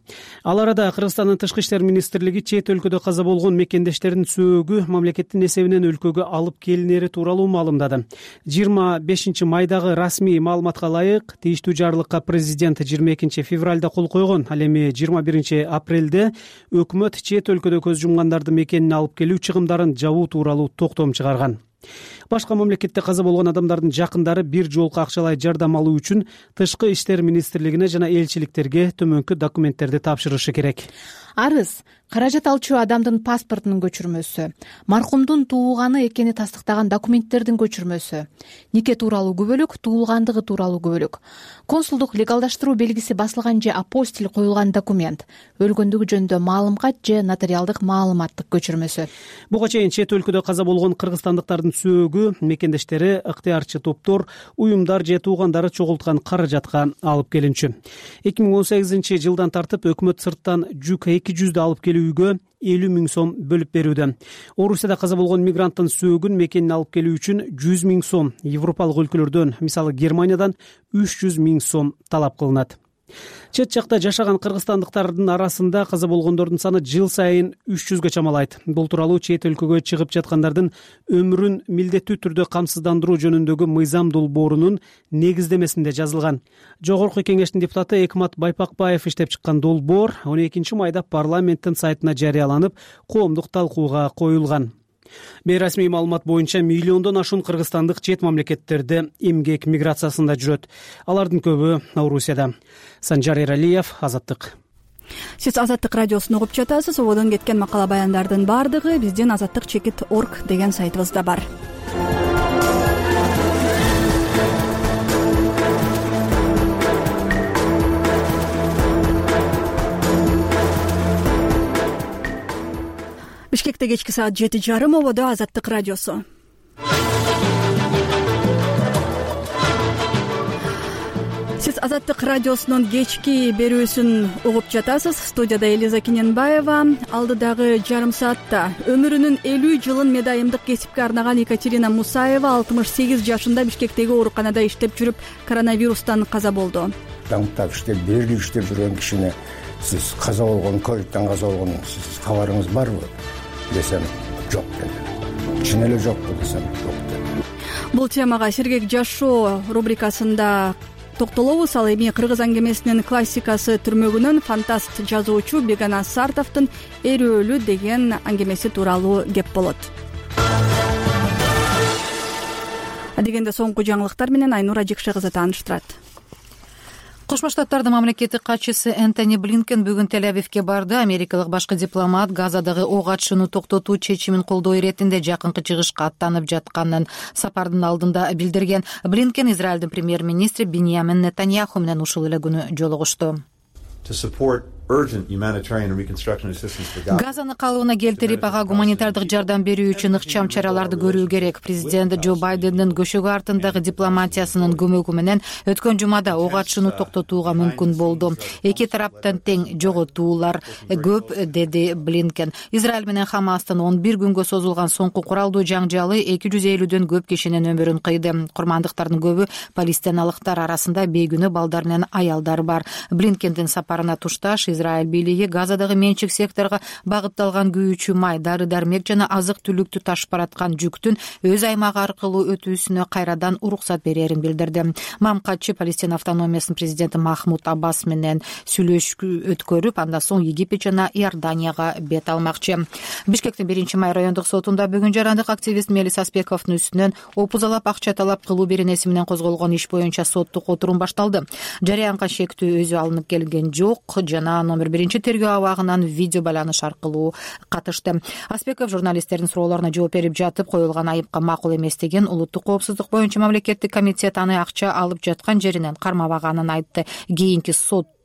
Ал арада Кыргызстандын Тышкы иштер министрлиги чет өлкөдө каза болгон мекендештердин сөөгү мамлекеттин эсебинен өлкөгө алып келинери тууралуу маалымдады. 25 майдагы расмий маалыматка ылайык, тийиштүү жарлыкка президент 22 февралда кол койгон. Ал эми 21 апрелде өкмөт чет өлкөдө көз жумгандарды мекенине алып келүү чыгымдарын жабуу тууралуу токтом чыгарган. Башка мамлекетте каза болгон адамдардын жакындары бир жолку акчалай жардам алуу үчүн Тышкы иштер министрлигине жана элчиликтерге төмөнкү документтерди тапшырышы керек. Арыз каражат алчу адамдын паспортунун көчүрмөсү, маркумдун туулганы экени тастыктаган документтердин көчүрмөсү, нике тууралуу күбөлүк, туулгандыгы тууралуу күбөлүк, консулдук легалдаштыруу белгиси басылган же апостиль коюлган документ, өлгөндүгү жөнүндө маалым кат же нотариалдык маалыматтык көчүрмөсү. Буга чейин чет өлкөдө каза болгон кыргызстандыктардын сөөгү мекендештери, ыктыярчы топтор, уюмдар же туугандары чогулткан каражатка алып келинчү. 2018 жылдан тартып өкмөт сырттан жүк 200 алып келүүгө 50 000 сом бөлүп берүүдө. Орусияда каза болгон мигранттын сөөгүн мекенине алып келүү үчүн 100 000 сом, Европалык өлкөлөрдөн, мисалы Германиядан 300 000 сом талап кылынат. Чет жакта жашаган кыргызстандыктардын арасында каза болгондордун саны жыл сайын 300гө чамалайт. Бул тууралуу чет өлкөгө чыгып жаткандардын өмүрүн милдеттүү түрдө камсыздандыруу жөнүндөгү мыйзам долбоорунун негиздемесинде жазылган. Жогорку кеңештин депутаты Экмат Байпакбаев иштеп чыккан долбоор 12-майда парламенттин сайтына жарыяланып, коомдук талкууга коюлган. Бейрасмий маалымат боюнча миллиондон ашуун кыргызстандык чет мамлекеттерде эмгек миграциясында жүрөт. Алардын көбү Орусияда. Санжар Эралиев, Азаттык. Сиз Азаттык радиосун угуп жатасыз. Ободон кеткен макала баяндардын баардыгы биздин azattik.org деген сайтыбызда бар. Бишкекте кечки саат 7:30, ободо Азаттык радиосу. Сиз Азаттык радиосунун кечки берүүсүн угуп жатасыз. Студияда Элиза Киненбаева. Алдыдагы жарым саатта өмүрүнүн 50 жылын медайымдык кесипке арнаган Екатерина Мусаева 68 жашында Бишкектеги ооруканада иштеп жүрүп, коронавирустан каза болду. Даңктап иштеп, бери иштеп жүргөн кишине сиз каза болгон, ковидтан каза болгон сиз кабарыңыз барбы десем, жок деди. Чын эле жокпу десем, жок деди. Бул темага Сергек жашоо рубрикасында токтолобуз. Ал эми кыргыз аңгемесинин классикасы түрмөгүнөн фантаст жазуучу Бегана Сартовдун Эрөөлүү деген аңгемеси тууралуу кеп болот. Адегенде соңку жаңылыктар менен Айнура Жекше кызы тааныштырат. Кошмо Штаттардын мамлекеттик катчысы Энтони Блинкен бүгүн Тель-Авивке барды. Америкалык башкы дипломат Газадагы ок атышууну токтотуу чечимин колдоо иретинде жакынкы чыгышка аттанып жатканын сапардын алдында билдирген. Блинкен Израилдин премьер-министри Биньямин Нетаньяху менен ушул эле күнү жолугушту. Газаны калыбына келтирип, ага гуманитардык жардам берүү үчүн ыкчам чараларды көрүү керек. Президент Джо Байдендин көшөгө артындагы дипломатиясынын көмөгү менен өткөн жумада ок атышууну токтотууга мүмкүн болду. Эки тараптан тең жоготуулар көп, деди Блинкен. Израиль менен Хамастын 11 күнгө созулган соңку куралдуу жаңжалы 250дөн көп кишинин өмүрүн кыйды. Курмандыктардын көбү палестиналыктар арасында бейгүнөө балдар менен аялдар бар. Блинкендин сапарына тушташ Израиль бийлиги Газадагы менчик секторго багытталган күйүүчү май, дары-дармек жана азык-түлүктү ташып бараткан жүктүн өз аймагы аркылуу өтүүсүнө кайрадан уруксат берерин билдирди. Мамкатчы Палестина автономиясынын президенти Махмуд Аббас менен сүйлөшүү өткөрүп, андан соң Египет жана Иорданияга бет алмакчы. Бишкектин 1-май райондук сотунда бүгүн жарандык активист Мелис Аспековдун үстүнөн опузалап акча талап кылуу беренеси менен козголгон иш боюнча соттук отурум башталды. Жарыянга шектүү өзү алынып келген жок жана номер 1 тергөө абагынан видео байланыш аркылуу катышты. Аспеков журналисттердин суроолоруна жооп берип жатып, коюлган айыпка макул эмес деген улуттук коопсуздук боюнча мамлекеттик комитет аны акча алып жаткан жеринен кармабаганын айтты. Кийинки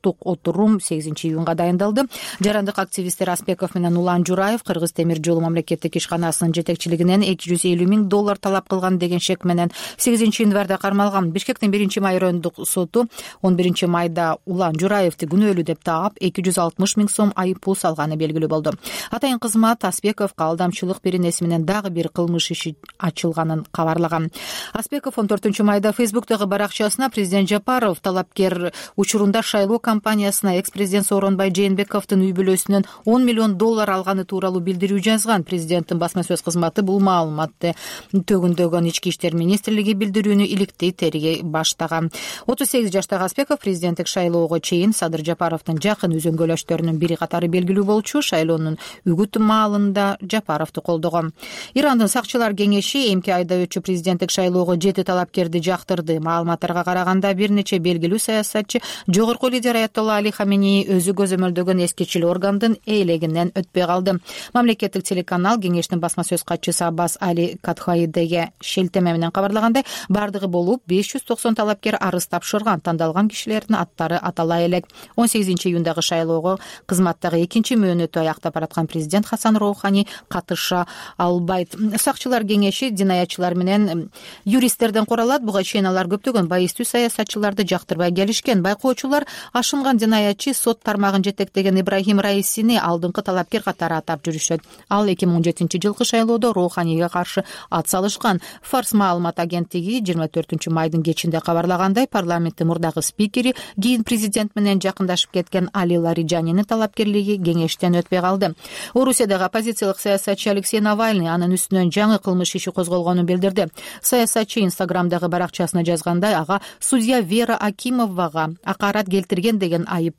отурум 8-июнга дайындалды. Жарандык активисттер Аспеков менен Улан Жураев Кыргыз темир жолу мамлекеттик ишканасынын жетекчилигинен $250 миң талап кылган деген шек менен 8-январда кармалган. Бишкектин 1-май райондук соту 11-майда Улан Жураевди күнөөлүү деп таап $260 миң айып пул салганы белгилүү болду. Атайын кызмат Аспековго алдамчылык беренеси менен дагы бир кылмыш иши ачылганын кабарлаган. Аспеков 14-майда Фейсбуктагы баракчасына президент Жапаров талапкер учурунда шайлоо компаниясына экс-президент Сооронбай Жээнбековдун үй бүлөсүнөн $10 миллион алганы тууралуу билдирүү жазган. Президенттин басма сөз кызматы бул маалыматты төгүндөгөн. Ички иштер министрлиги билдирүүнү иликтей тергей баштаган. 38 жаштагы Аспеков президенттик шайлоого чейин Садыр Жапаровдун жакын үзөңгөлөштөрүнүн бири катары белгилүү болчу. Шайлоонун үгүт маалында Жапаровду колдогон. Ирандын сакчылар кеңеши эмки айда өтчү президенттик шайлоого 7 талапкерди жактырды. Маалыматтарга караганда бир нече белгилүү саясатчы жогорку лидер Аятолла Али Хаменеи өзү көзөмөлдөгөн эскичил органдын ээлегинен өтпөй калды. Мамлекеттик телеканал кеңештин басма сөз катчысы Аббас Али Катхаидеге шелтеме менен кабарлагандай, бардыгы болуп 590 талапкер арыз тапшырган. Тандалган кишилердин аттары атала элек. 18-июндагы шайлоого кызматтагы экинчи мөөнөтү аяктап бараткан президент Хасан Роухани катыша албайт. Сакчылар кеңеши динаятчылар менен юристтерден куралат. Буга чейин алар көптөгөн байыстуу саясатчыларды жактырбай келишкен. Байкоочулар ашынган жинаятчы сот тармагын жетектеген Ибрахим Раисини алдыңкы талапкер катары атап жүрүшөт. Ал 2017-жылкы шайлоодо Роуханийге каршы ат салышкан. Фарс маалымат агенттиги 24-майдын кечинде кабарлагандай, парламенттин мурдагы спикери кийин президент менен жакындашып кеткен Али Лариджанинин талапкерлиги кеңештен өтпөй калды. Орусиядагы оппозициялык саясатчы Алексей Навальный анын үстүнөн жаңы кылмыш иши козголгонун билдирди. Саясатчы Инстаграмдагы баракчасына жазгандай, ага судья Вера Акимовага акарат келтирген деген айып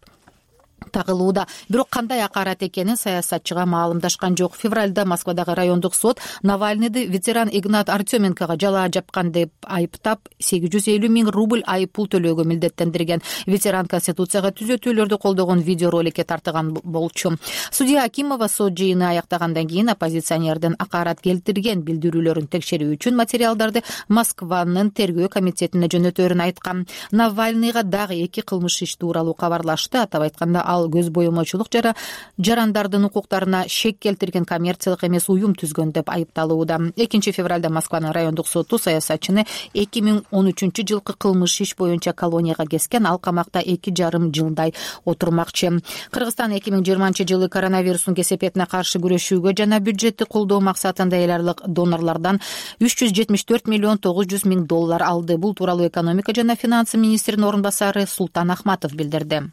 тагылууда. Бирок кандай акарат экенин саясатчыга маалымдашкан жок. Февралда Москвадагы райондук сот Навальныйды ветеран Игнат Артеменкого жалаа жапкан деп айыптап 850 000 рубль айып пул төлөөгө милдеттендирген. Ветеран Конституцияга түзөтүүлөрдү колдогон видеороликке тартылган болчу. Судья Акимова сот жыйыны аяктагандан кийин оппозиционердин акарат келтирген билдирүүлөрүн текшерүү үчүн материалдарды Москванын тергөө комитетине жөнөтөөрүн айткан. Навальныйга дагы 2 кылмыш иш тууралуу кабарлашты. Атап айтканда, ал көз боемочулук жарандардын укуктарына шек келтирген коммерциялык эмес уюм түзгөн деп айыпталууда. 2 февралда Москванын райондук соту саясатчыны 2013-жылкы кылмыш иш боюнча колонияга кескен. Ал камакта 2,5 жылдай отурмакчы. Кыргызстан 2020-жылы коронавирустун кесепетине каршы күрөшүүгө жана бюджетти колдоо максатында эл аралык донорлордон 374 миллион 900 миң доллар алды. Бул тууралуу экономика жана финансы министринин орун басары Султан Ахматов билдирди.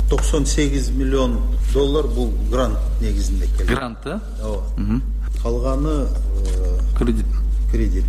98 миллион доллар бул грант негизинде келген. Грант, калганы кредит.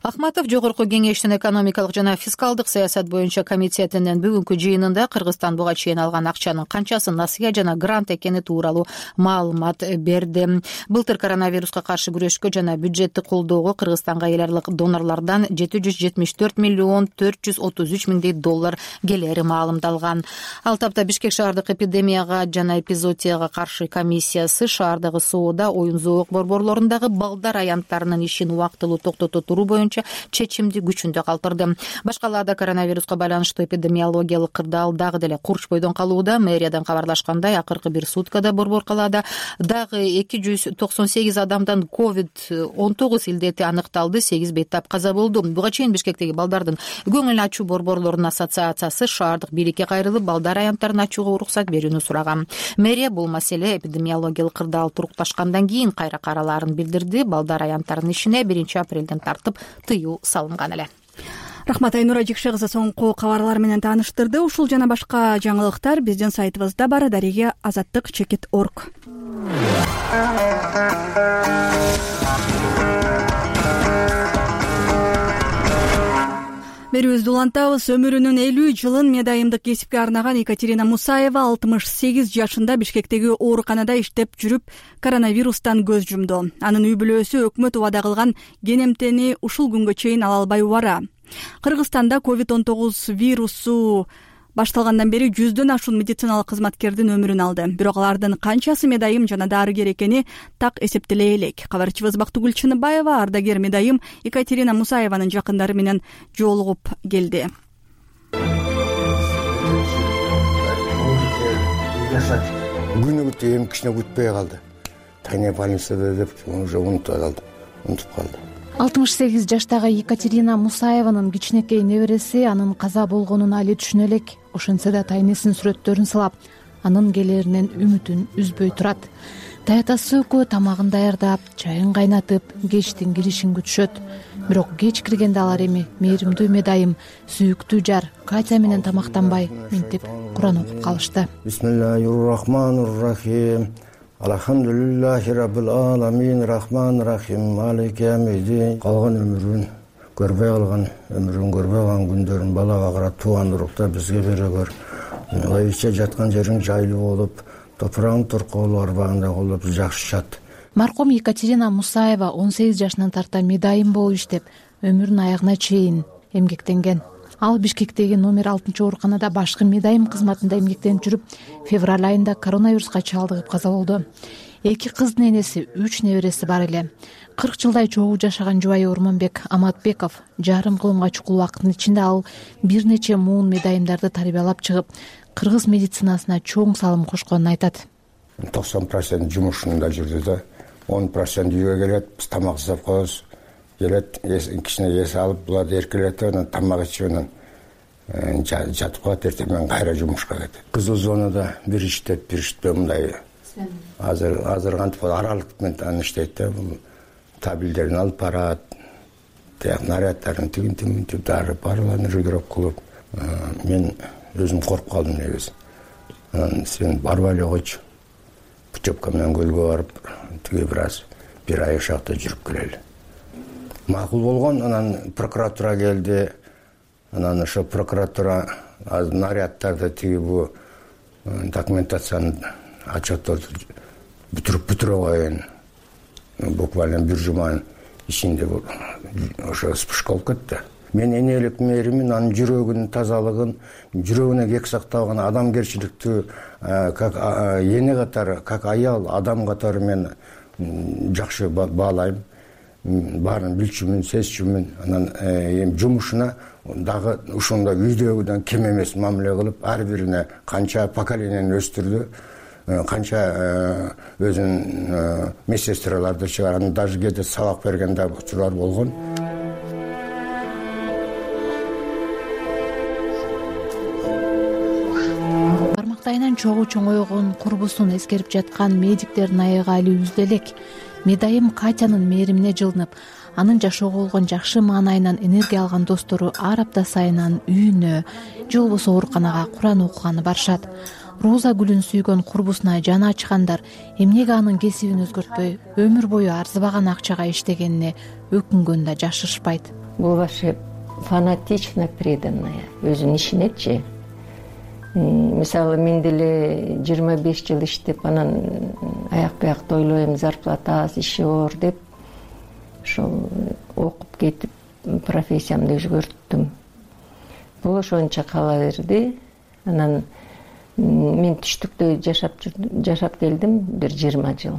Ахматов жогорку кеңештин экономикалык жана фискалдык саясат боюнча комитетинин бүгүнкү жыйынында Кыргызстан буга чейин алган акчанын канчасы насыя жана грант экени тууралуу маалымат берди. Былтыр коронавируска каршы күрөшкө жана бюджетти колдоого Кыргызстанга эл аралык донорлордон 774 миллион 433 миңдей доллар келери маалымдалган. Ал тапта Бишкек шаардык эпидемияга жана эпизоотияга каршы комиссиясы шаардагы соода, оюн-зоок борборлорундагы балдар аянттарынын ишин убактылуу токтото туруу боюнча чечимди күчүндө калтырды. Башкаларда коронавируска байланыштуу эпидемиологиялык кырдаал дагы деле курчпойдон калууда. Мэриядан кабарлашкандай, акыркы бир суткада борбор калаада дагы 298 адамдан COVID-19 илдети аныкталды, 8 бейтап каза болду. Буга чейин Бишкектеги балдардын көңүл ачуу борборлорунун ассоциациясы шаардык бийликке кайрылып, балдар аянттарын ачууга уруксат берүүнү сураган. Мэрия бул маселе эпидемиологиялык кырдаал турукташкандан кийин кайра каралаарын билдирди. Балдар аянттарынын ишине 1 апрелден тартып тыюу салынган эле. Рахмат Айнура Жикшегызы соңку кабарлар менен тааныштырды. Ушул жана башка жаңылыктар биздин сайтыбызда бар. Дареге azаттык.org. Берүүбүздү улантабыз. Өмүрүнүн 50 жылын медайымдык кесипке арнаган Екатерина Мусаева 68 жашында Бишкектеги ооруканада иштеп жүрүп коронавирустан көз жумду. Анын үй бүлөсү өкмөт убада кылган кенемтени ушул күнгө чейин ала албай убара. Кыргызстанда COVID-19 вирусу башталгандан бери 100дөн ашуун медициналык кызматкердин өмүрүн алды. Бирок алардын канчасы медайым жана дарыгер экени так эсептеле элек. Кабарчыбыз Бактыгүл Чыныбаева ардагер медайым Екатерина Мусаеванын жакындары менен жолугуп келди. Күнү өтө эмкичине күтпөй калды. Тайне больницада деп уже унутуп калды. 68 жаштагы Екатерина Мусаеванын кичинекей небереси анын каза болгонун али түшүнө элек. Ошентсе да тайнесинин сүрөттөрүн сылап, анын келеринен үмүтүн үзбөй турат. Таятасы экөө тамагын даярдап, чайын кайнатып, кечтин киришин күтүшөт. Бирок кеч киргенде алар эми мээримдүү медайым, сүйүктүү жар Катя менен тамактанбай, минтип Куран окуп калышты. Бисмиллахир-рахманир-рахим. Алхамдулиллахи раббил аламин, рахман-рахим, малик ямидин. Калган өмүрүн көрбөй калган күндөрүн балага карап тууган урукта бизге бере көр. Айча жаткан жериң жайлуу болуп, топурагың туркоолуу арбагында болуп жакшы жат. Маркум Екатерина Мусаева 18 жашынан тарта медайым болуп иштеп, өмүрүнүн аягына чейин эмгектенген. Ал Бишкектеги номер 6 ооруканада башкы медайым кызматында эмгектенип жүрүп, февраль айында коронавируска чалдыгып каза болду. 2 кыздын энеси, 3 небереси бар эле. 40 жылдай чогуу жашаган жубайы Ормонбек Аматбеков жарым кылымга чукул убакыттын ичинде ал бир нече муун медайымдарды тарбиялап чыгып, кыргыз медицинасына чоң салым кошконун айтат. 90% жумушунда жүрдү да, 10% үйгө келет, биз тамак жасап коебуз. Келет, кичине эс алып, буларды эркелетип, анан тамак ичип, анан жатып калат, эртең менен кайра жумушка кетет. Кызыл зонада бир иштеп бир иштепей мындай азыр кантип аралык менен иштейт да, бул табелдерин алып барат, тияк наряддарын тигинтип дарып барларын регулировка кылып. Мен өзүм коркуп калдым негизи. Анан сен барбай эле койчу, путевка менен көлгө барып, тиги бир ай ошакта жүрүп келели. Макул болгон. Анан прокуратура келди. Анан ошо прокуратура наряддарды тиги бу документацияны отчетторду бүтүрө коеюн. Буквально бир жуманын ичинде ошо вспышка болуп кетти. Мен энелик мээримин, анын жүрөгүнүн тазалыгын, жүрөгүнө кек сактабаган адамгерчиликтүү как эне катары, как аял, адам катары мен жакшы баалайм. Баарын билчүмүн, сезчүмүн. Анан эми жумушуна дагы ушундай үйдөгүдөн кем эмес мамиле кылып, ар бирине канча поколениени өстүрдү, канча өзүнүн медсестраларды чыгарган, даже кээде сабак берген да учурлар болгон. Бармактайынан чогуу чоңойгон курбусун эскерип жаткан медиктердин аягы али үздө элек. Медайым Катянын мээримине жылынып, анын жашоого болгон жакшы маанайынан энергия алган достору ар апта сайын анын үйүнө же болбосо ооруканага Куран окуганы барышат. Роза гүлүн сүйгөн курбусуна жаны ачкандар эмнеге анын кесибин өзгөртпөй өмүр бою арзыбаган акчага иштегенине өкүнгөн да жашырышпайт. Бул вообще фанатично преданная өзүнүн ишинечи. Мисалы мен деле 25 жыл иштеп, анан аяк биякты ойлойм, зарплата аз, иши оор деп ошол окуп кетип профессиямды өзгөрттүм. Бул ошончо кала берди. Анан мен түштүктө жашап келдим бир 20 жыл.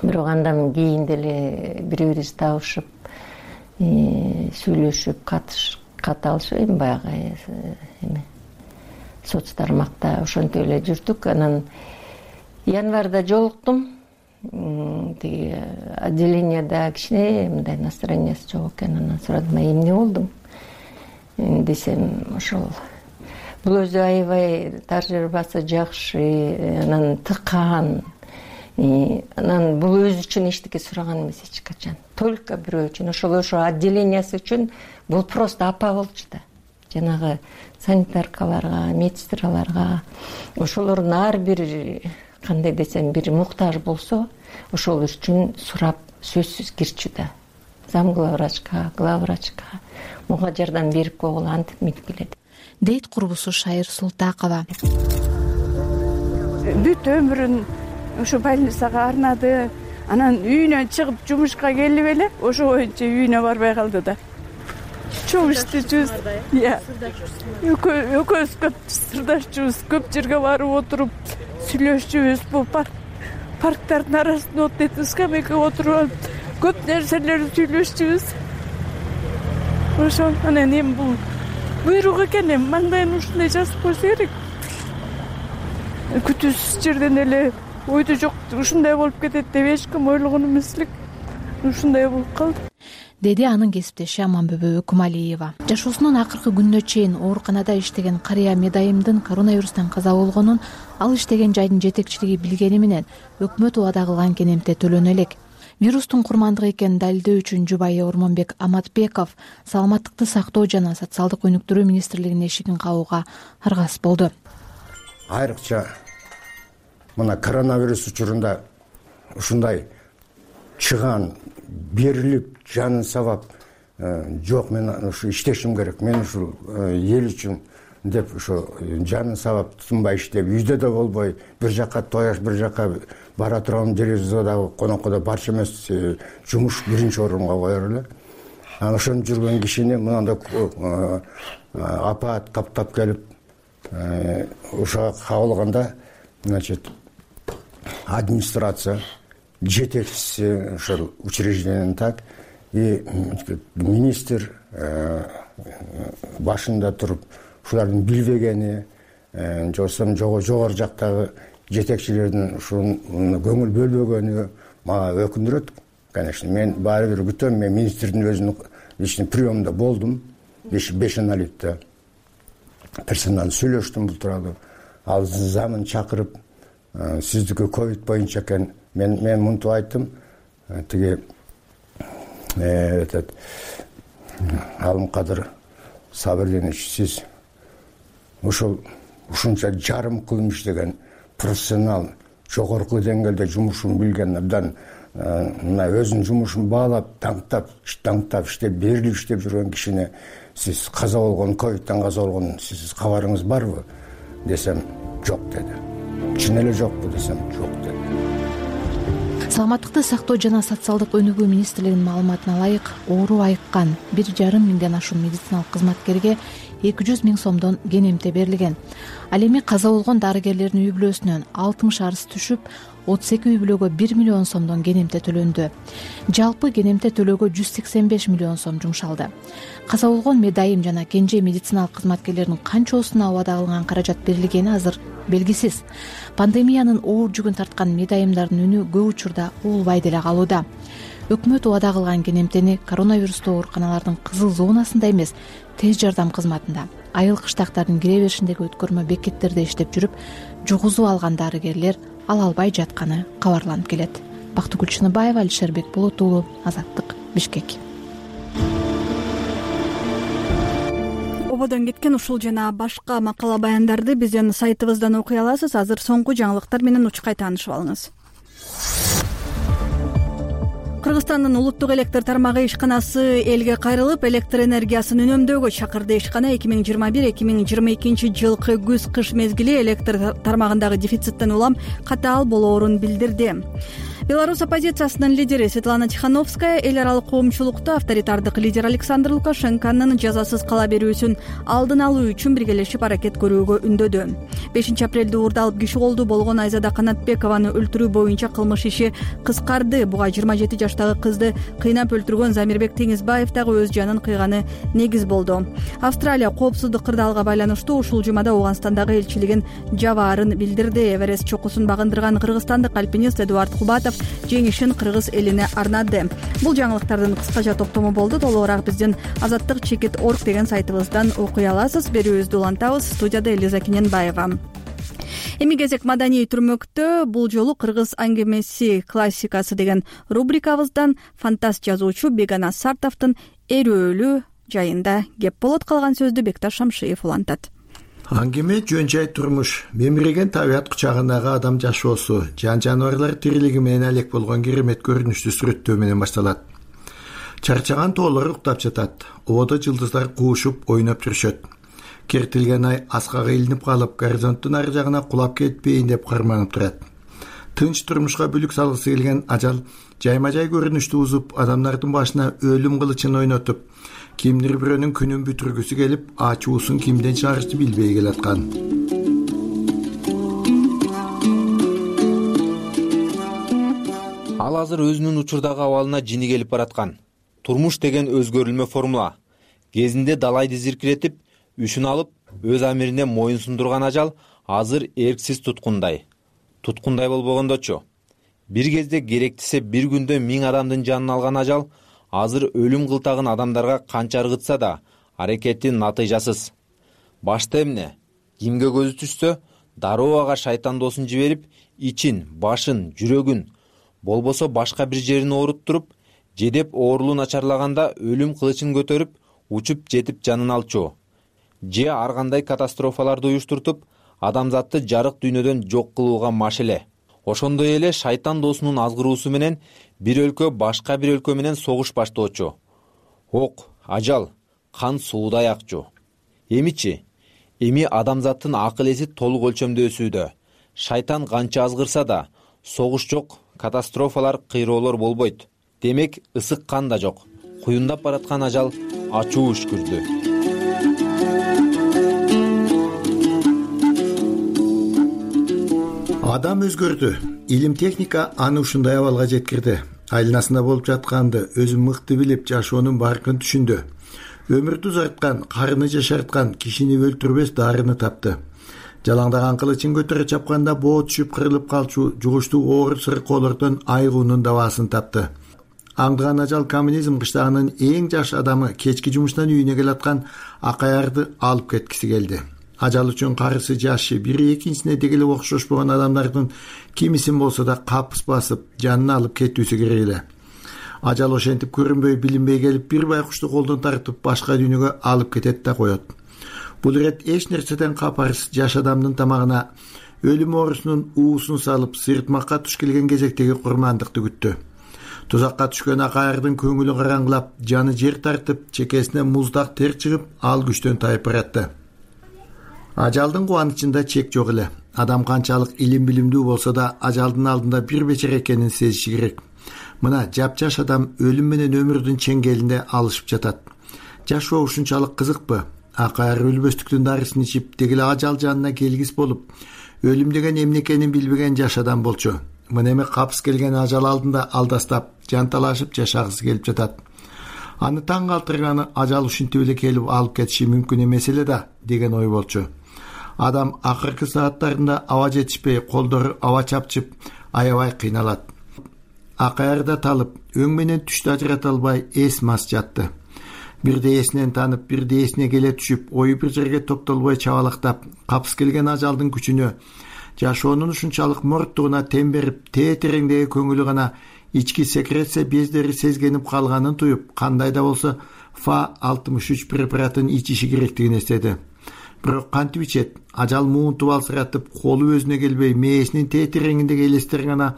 Бирок андан кийин деле бири-бирибиз табышып, сүйлөшүп, кат алышып, эми баягы соц тармакта ошентип эле жүрдүк. Анан январда жолуктум. Тиги отделенияда кичине мындай настроениясы жок экен. Анан сурадым, эмне болдуң десем, ошол бул өзү аябай тажрыйбасы жакшы, анан тыкан. Анан бул өзү үчүн эчтеке сураган эмес эч качан. Только бирөө үчүн, ошо отделениясы үчүн бул просто апа болчу да. Жанагы санитаркаларга, медсестраларга, ошолордун ар бир кандай десем бир муктаж болсо, ошол үчүн сурап сөзсүз кирчү да. Зам главврачка, главврачка муга жардам берип койгула, антип минип келет. Дейт курбусу Шайыр Султакова. Бүт өмүрүн ошо больницага арнады. Анан үйүнөн чыгып жумушка келип эле ошо боюнча үйүнө барбай калды да. Чоң иштечүбүз. Экөөбүз көп сырдашчубуз, көп жерге барып отуруп сүйлөшчүбүз. Бул парктардын арасында отуруп, скамейкага отуруп, көп нерселерди сүйлөшчүбүз. Ошо анан эми бул буйрук экен, эми маңдайын ушундай жазып койсо керек. Күтүүсүз жерден эле ойдо жок ушундай болуп кетет деп эч ким ойлогон эмес элек. Ушундай болуп калды, деди анын кесиптеши Аманбүбө Өкүмалиева. Жашоосунун акыркы күнүнө чейин ооруканада иштеген карыя Медайымдын коронавирустан каза болгонун ал иштеген жайдын жетекчилиги билгени менен өкмөт убада кылган кенемте төлөнө элек. Вирустун курмандыгы экенин далилдөө үчүн жубайы Ормонбек Аматбеков саламаттыкты сактоо жана социалдык өнүктүрүү министрлигинин эшигин кагууга аргасыз болду. Айрыкча мына коронавирус учурунда ушундай чыган берилип жанын сабап жок, мен ушу иштешим керек, мен ушул эл үчүн деп ошо жанын сабап тынбай иштеп, үйдө да болбой, бир жака тояш, бир жака бара турган жерибизде дагы конокко барчу эмес, жумуш биринчи орунга коер эле. Анан ошентип жүргөн кишини мындай апаат таптап келип ошого кабылганда, значит, администрация жетекчиси ошол учреждениянын так и министр башында туруп ушулардын билбегени, же болбосо жогору жактагы жетекчилердин ушуну көңүл бөлбөгөнү мага өкүндүрөт. Конечно, мен баары бир күтөм, мен министрдин өзүнүн ичинде приемда болдум, 5 аналитте. персонал сүйлөштүм бул тууралуу. Ал замын чакырып, сиздики ковид боюнча экен. Мен мынтип айттым. Тиги Алымкадыр Сабырдинович, сиз ушунча жарым кылым иштеген профессионал, жогорку деңгээлде жумушун билген абдан мына өзүнүн жумушун баалап, таңтап иштеп, берилип иштеп жүргөн кишини сиз каза болгон, ковидтен каза болгон сиз кабарыңыз барбы десем, жок деди. Чын эле жокпу десем, жок деди. Саламаттыкты сактоо жана социалдык өнүгүү министрлигинин маалыматына ылайык, оору айыккан 1,5 миңден ашуун медициналык кызматкерге 200 000 сомдон кенемте берилген. Ал эми каза болгон дарыгерлердин үй бүлөсүнөн 60 арыз түшүп, 32 үй бүлөгө 1 миллион сомдон кенемте төлөндү. Жалпы кенемте төлөөгө 185 миллион сом жумшалды. Каза болгон медайым жана кенже медициналык кызматкерлердин канчосуна убада кылынган каражат берилгени азыр белгисиз. Пандемиянын оор жүгүн тарткан медайымдардын үнү көп учурда угулбай деле калууда. Өкмөт убада кылган кенемтени коронавирустуу ооруканалардын кызыл зонасында эмес, тез жардам кызматында, айыл кыштактардын кире беришиндеги өткөрмө бекеттерде иштеп жүрүп, жугузуу алган дарыгерлер ала албай жатканы кабарланып келет. Бактыгүл Чыныбаева, Алишер Бекболот уулу, Азаттык, Бишкек. Ободон кеткен ушул жана башка макала баяндарды биздин сайтыбыздан окуй аласыз. Азыр соңку жаңылыктар менен учкай таанышып алыңыз. Кыргызстандын улуттук электр тармагы ишканасы элге кайрылып, электр энергиясын үнөмдөөгө чакырды. Ишкана 2021-2022 жылкы күз-кыш мезгили электр тармагындагы дефициттен улам катаал болоорун билдирди. Беларусь оппозициясынын лидери Светлана Тихановская эл аралык коомчулукту авторитардык лидер Александр Лукашенконун жазасыз кала берүүсүн алдын алуу үчүн биргелешип аракет көрүүгө үндөдү. 5 апрелде уурдалып киши колду болгон Айзада Канатбекованы өлтүрүү боюнча кылмыш иши кыскарды. Буга 27 жаштагы кызды кыйнап өлтүргөн Замирбек Теңизбаев дагы өз жанын кыйганы негиз болду. Австралия коопсуздук кырдаалга байланыштуу ушул жумада Ооганстандагы элчилигин жабаарын билдирди. Эверест чокусун багындырган кыргызстандык альпинист Эдуард Кубатов жеңишин кыргыз элине арнады. Бул жаңылыктардын кыскача топтому болду. Толугураак биздин azattik.org деген сайтыбыздан окуй аласыз. Берүүбүздү улантабыз. Студияда Элиза Кененбаева. Эми кезек маданий түрмөктө. Бул жолу кыргыз аңгемеси классикасы деген рубрикабыздан фантаст жазуучу Бегана Сартовдун эрөөлүү жайында кеп болот. Калган сөздү Бекташ Шамшиев улантат. Аңгеме жөн жай турмуш, мемиреген табият кучагындагы адам жашоосу, жан жаныбарлар тирилиги менен алек болгон керемет көрүнүштү сүрөттөө менен башталат. Чарчаган тоолор уктап жатат, ободо жылдыздар куушуп ойноп жүрүшөт. Кертилген ай аскага илинип калып, горизонттун ары жагына кулап кетпейин деп карманып турат. Тынч турмушка бүлүк салгысы келген ажал жайма-жай көрүнүштү узуп, адамдардын башына өлүм кылычын ойнотуп, кимдир бирөөнүн күнүн бүтүргүсү келип, ачуусун кимден чыгарышты билбей келаткан. Ал азыр өзүнүн учурдагы абалына жини келип бараткан. Турмуш деген өзгөрүлмө формула. Кезинде далайды зиркиретип, үшүн алып, өз амирине моюн сундурган ажал азыр эрксиз туткундай. Туткундай болбогондочу. Бир кезде керектисе бир күндө 1000 адамдын жанын алган ажал азыр өлүм кылтагын адамдарга канча ыргытса да аракеттин натыйжасыз. Башта эмне? Кимге көзү түшсө, дароо ага шайтан досун жиберип, ичин, башын, жүрөгүн, болбосо башка бир жерин ооруттуруп, жедеп оорулуу начарлаганда өлүм кылычын көтөрүп, учуп жетип жанын алчу. Же ар кандай катастрофаларды уюштуртуп, адамзатты жарык дүйнөдөн жок кылууга машеле. Ошондой эле шайтан досунун азгыруусу менен бир өлкө башка бир өлкө менен согуш баштоочу. Ок, ажал, кан суудай акчу. Эмичи? Эми адамзаттын акыл эси толук өлчөмдө өсүүдө. Шайтан канча азгырса да, согуш жок, катастрофалар, кыйроолор болбойт. Демек, ысык кан да жок. Куюндап бараткан ажал ачуу үшкүрдү. Адам өзгөрдү. Илим техника аны ушундай абалга жеткирди. Айланасында болуп жатканды өзү мыкты билип, жашоонун баркын түшүндү. Өмүрдү узарткан, карыны жашарткан, кишини өлтүрбөс дарыны тапты. Жалаңдаган кылычын көтөрө чапканда боо түшүп кырылып калчу жугуштуу оор сыркоолордон айгуунун дабаасын тапты. Аңдыган ажал коммунизм кыштагынын эң жаш адамы кечки жумуштан үйүнө келаткан Акаярды алып кеткиси келди. Ажал үчүн карысы жашы бири экинчисине деги эле окшошпогон адамдардын кимисин болсо да капыс басып жанын алып кетүүсү керек эле. Ажал ошентип көрүнбөй билинбей келип бир байкушту колдон тартып башка дүйнөгө алып кетет да коет. Бул ирет эч нерседен капарсыз жаш адамдын тамагына өлүм оорусунун уусун салып сыйыртмакка туш келген кезектеги курмандыкты күттү. Тузакка түшкөн акаярдын көңүлү караңгылап, жаны жер тартып, чекесине муздак тер чыгып, ал күчтөн тайып баратты. Ажалдын кубанычында чек жок эле. Адам канчалык илим билимдүү болсо да, ажалдын алдында бир бечара экенин сезиши керек. Мына жапжаш адам өлүм менен өмүрдүн чеңгелинде алышып жатат. Жашоо ушунчалык кызыкпы? Акаяр өлбөстүктүн дарысын ичип, деги эле ажал жанына келгис болуп, өлүм деген эмне экенин билбеген жаш адам болчу. Мына эми капыс келген ажал алдында алдастап, жанталашып жашагысы келип жатат. Аны таң калтырганы ажал ушинтип эле келип алып кетиши мүмкүн эмес эле да деген ой болчу. Адам акыркы сааттарында аба жетишпей, колдору аба чапчып, аябай кыйналат. Акаярда талып, өң менен түштү ажырата албай эс мас жатты. Бирде эсинен танып, бирде эсине келе түшүп, ою бир жерге токтолбой чабалактап, капыс келген ажалдын күчүнө, жашоонун ушунчалык морттугуна тем берип, тереңдеги көңүлү гана ички секреция бездери сезгенип калганын туюп, кандай да болсо Fa-63 препаратын ичиши керектигин эстеди. Бирок кантип ичет? Ажал муунтуп алсыратып, колу өзүнө келбей, мээсинин тереңиндеги элестер гана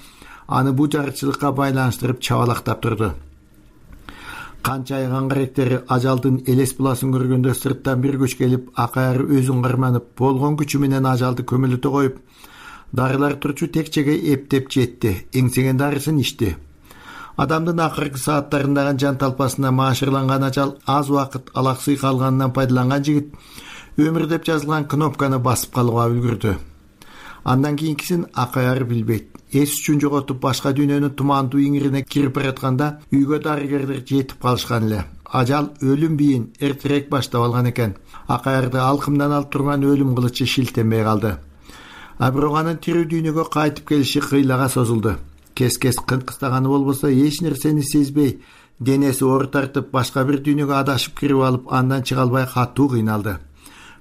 аны бу жарычылыкка байланыштырып чабалактап турду. Канча айган каректери ажалдын элес буласын көргөндө сырттан бир күч келип, акаяр өзүн карманып, болгон күчү менен ажалды көмөлөтө коюп, дарылар турчу текчеге эптеп жетти, эңсеген дарысын ичти. Адамдын акыркы сааттарындагы жан талпасына маашырланган ажал аз убакыт алаксый калганынан пайдаланган жигит өмүр деп жазылган кнопканы басып калууга үлгүрдү. Андан кийинкисин акаяр билбейт. Эс үчүн жоготуп башка дүйнөнүн тумандуу иңирине кирип баратканда үйгө дарыгерлер жетип калышкан эле. Ажал өлүм бийин эртерээк баштап алган экен. Акаярды алкымдан алып турган өлүм кылычы шилтенбей калды. Бирок анын тирүү дүйнөгө кайтып келиши кыйлага созулду. Кес-кес кынкыстаганы болбосо эч нерсени сезбей, денеси оор тартып, башка бир дүйнөгө адашып кирип алып, андан чыга албай катуу кыйналды.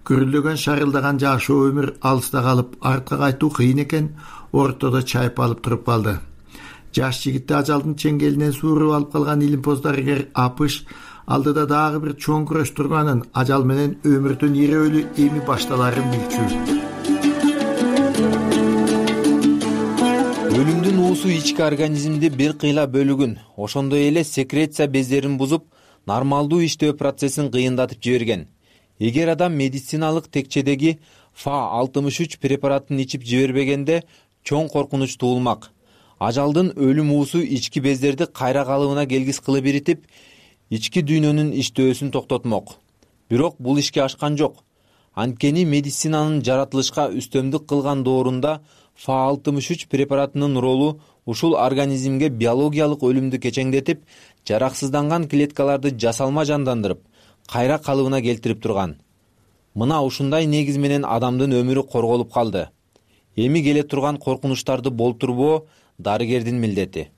Күрүлдөгөн шарылдаган жашоо өмүр алыста калып, артка кайтуу кыйын экен, ортодо чайып алып туруп калды. Жаш жигитти ажалдын чеңгелинен сууруп алып калган илимпоз дарыгер Апыш алдыда дагы бир чоң күрөш турганын, ажал менен өмүрдүн ирөөлү эми башталарын билчү. Өлүмдүн уусу ички организмди бир кыйла бөлүгүн, ошондой эле секреция бездерин бузуп, нормалдуу иштөө процессин кыйындатып жиберген. Эгер адам медициналык текчедеги Fa-63 препаратын ичип жибербегенде чоң коркунуч туулмак. Ажалдын өлүм уусу ички бездерди кайра калыбына келгис кылып иритип, ички дүйнөнүн иштөөсүн токтотмок. Бирок бул ишке ашкан жок. Анткени медицинанын жаратылышка үстөмдүк кылган доорунда Fa-63 препаратынын ролу ушул организмге биологиялык өлүмдү кечеңдетип, жараксызданган клеткаларды жасалма жандандырып, кайра калыбына келтирип турган. Мына ушундай негиз менен адамдын өмүрү корголуп калды. Эми келе турган коркунучтарды болтурбоо дарыгердин милдети.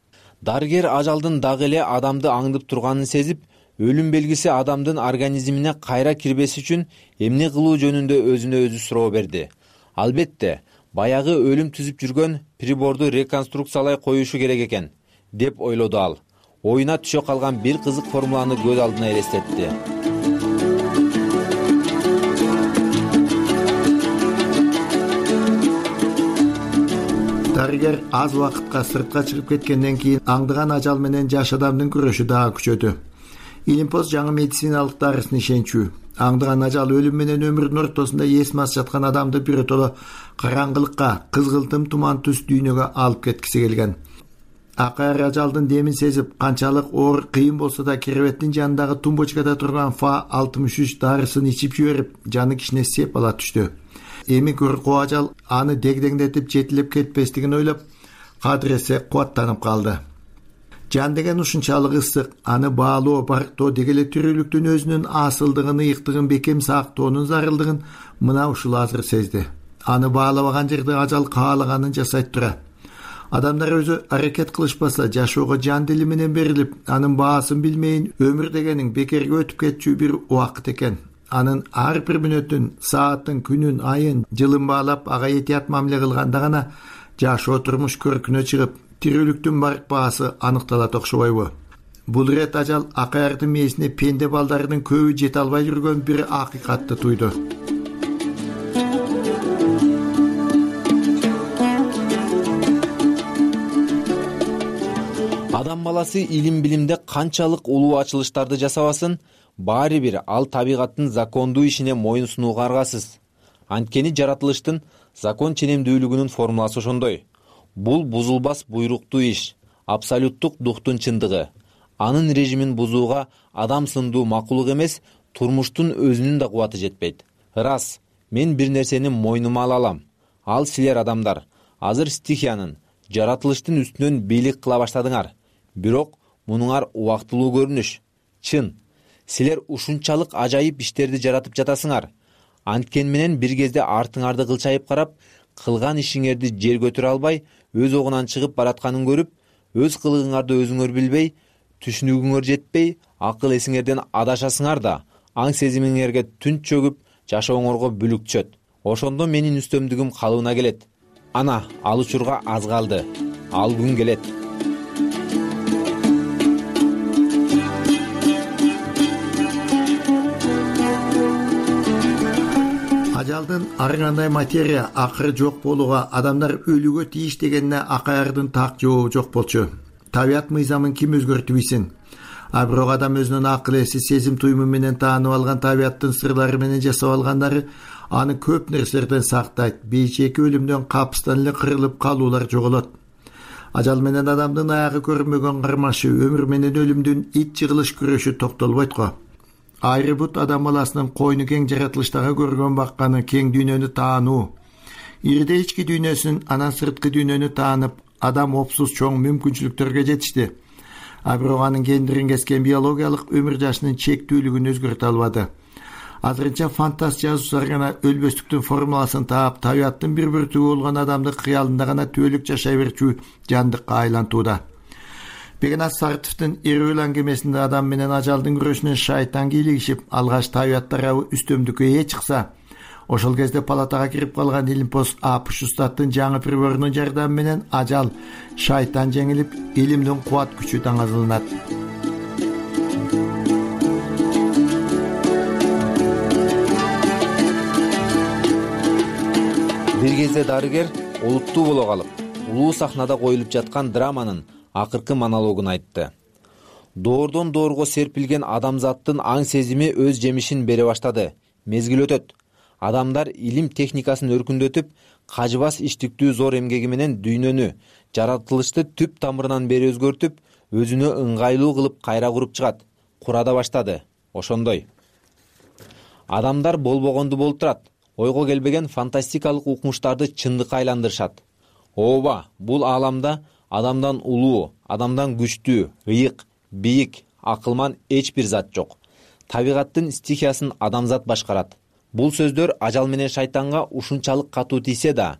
Дарыгер ажалдын дагы эле адамды аңдып турганын сезип, өлүм белгиси адамдын организмине кайра кирбес үчүн эмне кылуу жөнүндө өзүнө өзү суроо берди. Албетте, баягы өлүм түзүп жүргөн приборду реконструкциялай коюшу керек экен, деп ойлоду ал. Оюна түшө калган бир кызык формуланы көз алдына элестетти. Дарыгер аз убакытка сыртка чыгып кеткенден кийин аңдыган ажал менен жаш адамдын күрөшү дагы күчөдү. Илимпоз жаңы медициналык дарысын ишенчү. Аңдыган ажал өлүм менен өмүрдүн ортосунда эс мас жаткан адамды биротоло караңгылыкка, кызгылтым туман түс дүйнөгө алып кеткиси келген. Акаяр ажалдын демин сезип, канчалык оор кыйын болсо да керебеттин жанындагы тумбочкада турган Fa-63 дарысын ичип жиберип, жаны кичине сеп ала түштү. Эми коркуу ажал аны дегдеңдетип жетилеп кетпестигин ойлоп, кадыресе кубаттанып калды. Жан деген ушунчалык ысык, аны баалоо, барктоо деги эле тирүүлүктүн өзүнүн асылдыгын, ыйыктыгын бекем сактоонун зарылдыгын мына ушул азыр сезди. Аны баалабаган жерде ажал каалаганын жасайт тура. Адамдар өзү аракет кылышпаса, жашоого жан дили менен берилип, анын баасын билмейин өмүр дегенин бекерге өтүп кетчү бир убакыт экен. анын ар бир мүнөтүн, саатын, күнүн, айын, жылын баалап ага этият мамиле кылганда гана жашоо турмуш көркүнө чыгып, тирүүлүктүн барк баасы аныкталат окшобойбу? Бул ирет ажал акаярдын мээсине пенде балдарынын көбү жете албай жүргөн бир акыйкатты туйду. Адам баласы илим билимде канчалык улуу ачылыштарды жасабасын, баары бир ал табигаттын закондуу ишине моюн сунууга аргасыз. Анткени жаратылыштын закон ченемдүүлүгүнүн формуласы ошондой. Бул бузулбас буйруктуу иш, абсолюттук духтун чындыгы. Анын режимин бузууга адам сындуу макулук эмес, турмуштун өзүнүн да кубаты жетпейт. Рас, мен бир нерсени мойнума ала алам. Ал силер адамдар, азыр стихиянын, жаратылыштын үстүнөн бийлик кыла баштадыңар. Бирок мунуңар убактылуу көрүнүш. Чын, силер ушунчалык ажайып иштерди жаратып жатасыңар. Анткени менен бир кезде артыңарды кылчайып карап, кылган ишиңерди жер көтөрө албай, өз огунан чыгып баратканын көрүп, өз кылыгыңарды өзүңөр билбей, түшүнүгүңөр жетпей, акыл эсиңерден адашасыңар да, аң сезимиңерге түн чөгүп, жашооңорго бүлүк түшөт. Ошондо менин үстөмдүгүм калыбына келет. Ана, ал учурга аз калды. Ал күн келет. Ажалдын ар кандай материя акыры жок болууга, адамдар өлүүгө тийиш дегенине акаярдын так жообу жок болчу. Табият мыйзамын ким өзгөртүп ийсин? Бирок адам өзүнүн акыл эси, сезим туюму менен таанып алган табияттын сырлары менен жасап алгандары аны көп нерселерден сактайт. Бейчеки өлүмдөн капыстан эле кырылып калуулар жоголот. Ажал менен адамдын аягы көрүнбөгөн кармашы, өмүр менен өлүмдүн ит жыгылыш күрөшү токтолбойт го. Айры бут адам баласынын койну кең жаратылыштагы көргөн бакканы, кең дүйнөнү таануу. Ирде ички дүйнөсүн, анан сырткы дүйнөнү таанып, адам опсуз чоң мүмкүнчүлүктөргө жетишти. Бирок анын кендирин кескен биологиялык өмүр жашынын чектүүлүгүн өзгөртө албады. Азырынча фантаст жазуучулар гана өлбөстүктүн формуласын таап, табияттын бир бүртүгү болгон адамды кыялында гана түбөлүк жашай берчү жандыкка айлантууда. Бегенас Сартовдун Эрүүл аңгемесинде адам менен ажалдын күрөшүнөн шайтан кийлигишип, алгач табият тарабы үстөмдүккө ээ чыкса, ошол кезде палатага кирип калган Илимпоз Апуштаттын жаңы приборунун жардамы менен ажал, шайтан жеңилип, илимдин кубат күчү таңазыланат. Бир кезде дарыгер олуттуу боло калып, улуу сахнада коюлуп жаткан драманын акыркы монологун айтты. Доордон доорго серпилген адамзаттын аң сезими өз жемишин бере баштады. Мезгил өтөт. Адамдар илим техникасын өркүндөтүп, кажыбас иштиктүү зор эмгеги менен дүйнөнү, жаратылышты түп тамырынан бери өзгөртүп, өзүнө ыңгайлуу кылып кайра куруп чыгат. Кура да баштады. Ошондой. Адамдар болбогонду болуп турат. Ойго келбеген фантастикалык укмуштарды чындыкка айландырышат. Ооба, бул ааламда адамдан улуу, адамдан күчтүү, ыйык, бийик, акылман эч бир зат жок. Табигаттын стихиясын адамзат башкарат. Бул сөздөр ажал менен шайтанга ушунчалык катуу тийсе да,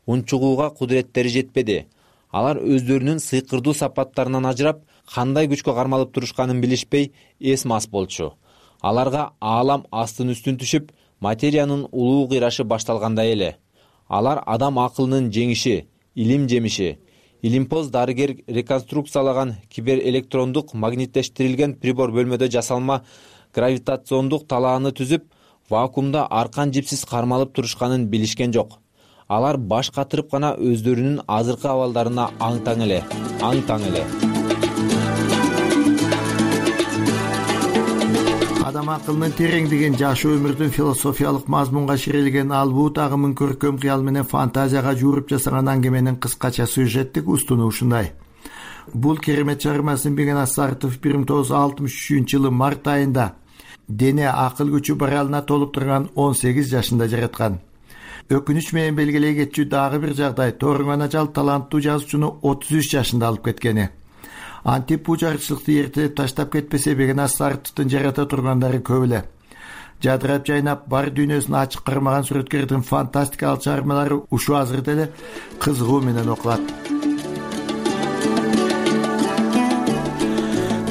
унчугууга кудуреттери жетпеди. Алар өздөрүнүн сыйкырдуу сапаттарынан ажырап, кандай күчкө кармалып турушканын билишпей, эс мас болчу. Аларга аалам астын үстүн түшүп, материянын улуу кыйрашы башталгандай эле. Алар адам акылынын жеңиши, илим жемиши. Илимпоз дарыгер реконструкциялаган киберэлектрондук магниттештирилген прибор бөлмөдө жасалма гравитациондук талааны түзүп, вакуумда аркан жипсиз кармалып турушканын билишкен жок. Алар баш катырып гана өздөрүнүн азыркы абалдарына аң-таң эле. Адам акылынын тереңдигин, жашоо өмүрдүн философиялык мазмунга ширелген албут агымын көркөм кыял менен фантазияга жууруп жасаган аңгеменин кыскача сюжеттик устуну ушундай. Бул керемет чыгармасын Бегенас Сартов 1963-жылы март айында дене акыл күчү баралына толуп турган 18 жашында жараткан. Өкүнүч менен белгилей кетчү дагы бир жагдай, Торгон ажал таланттуу жазуучуну 33 жашында алып кеткени. Антип бул жарчылыкты эртелеп таштап кетпесе, Бегенас Сартовдун жарата тургандары көп эле. Жадырап жайнап, бар дүйнөсүн ачык кармаган сүрөткөрдүн фантастикалык чыгармалары ушу азырда эле кызыгуу менен окулат.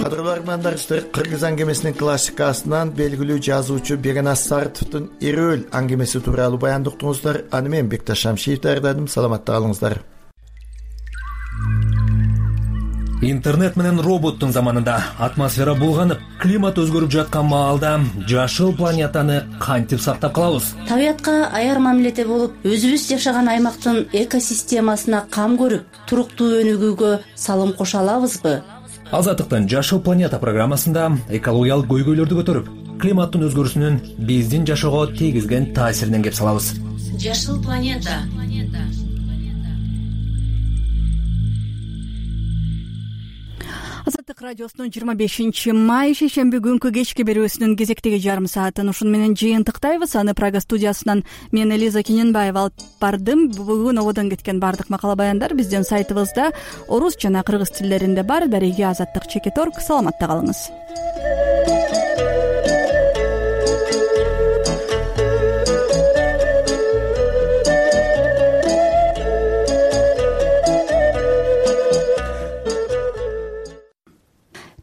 кадырлуу армандаштар, кыргыз аңгемесинин классикасынан белгилүү жазуучу Бегенас Сартовдун Эрөөл аңгемеси тууралуу баяндыктыңыздар. Аны мен Бекташ Шамшиев даярдадым. Саламатта калыңыздар. Интернет менен роботтун заманында атмосфера булганып, климат өзгөрүп жаткан маалда жашыл планетаны кантип сактап калабыз? Табиятка аяр мамиледе болуп, өзүбүз жашаган аймактын экосистемасына кам көрүп, туруктуу өнүгүүгө салым кошо алабызбы? Азаттыктын Жашыл планета программасында экологиялык көйгөйлөрдү көтөрүп, климаттын өзгөрүүсүнүн биздин жашоого тийгизген таасиринен кеп салабыз. Жашыл планета. Азаттык радиосунун 25-май шейшемби күнкү кечки берүүсүнүн кезектеги жарым саатын ушуну менен жыйынтыктайбыз. Аны Прага студиясынан мен Элиза Кененбаева алып бардым. Бүгүн ободон кеткен бардык макала баяндар биздин сайтыбызда орус жана кыргыз тилдеринде бар. Дареги Азаттык _org. Саламатта калыңыз.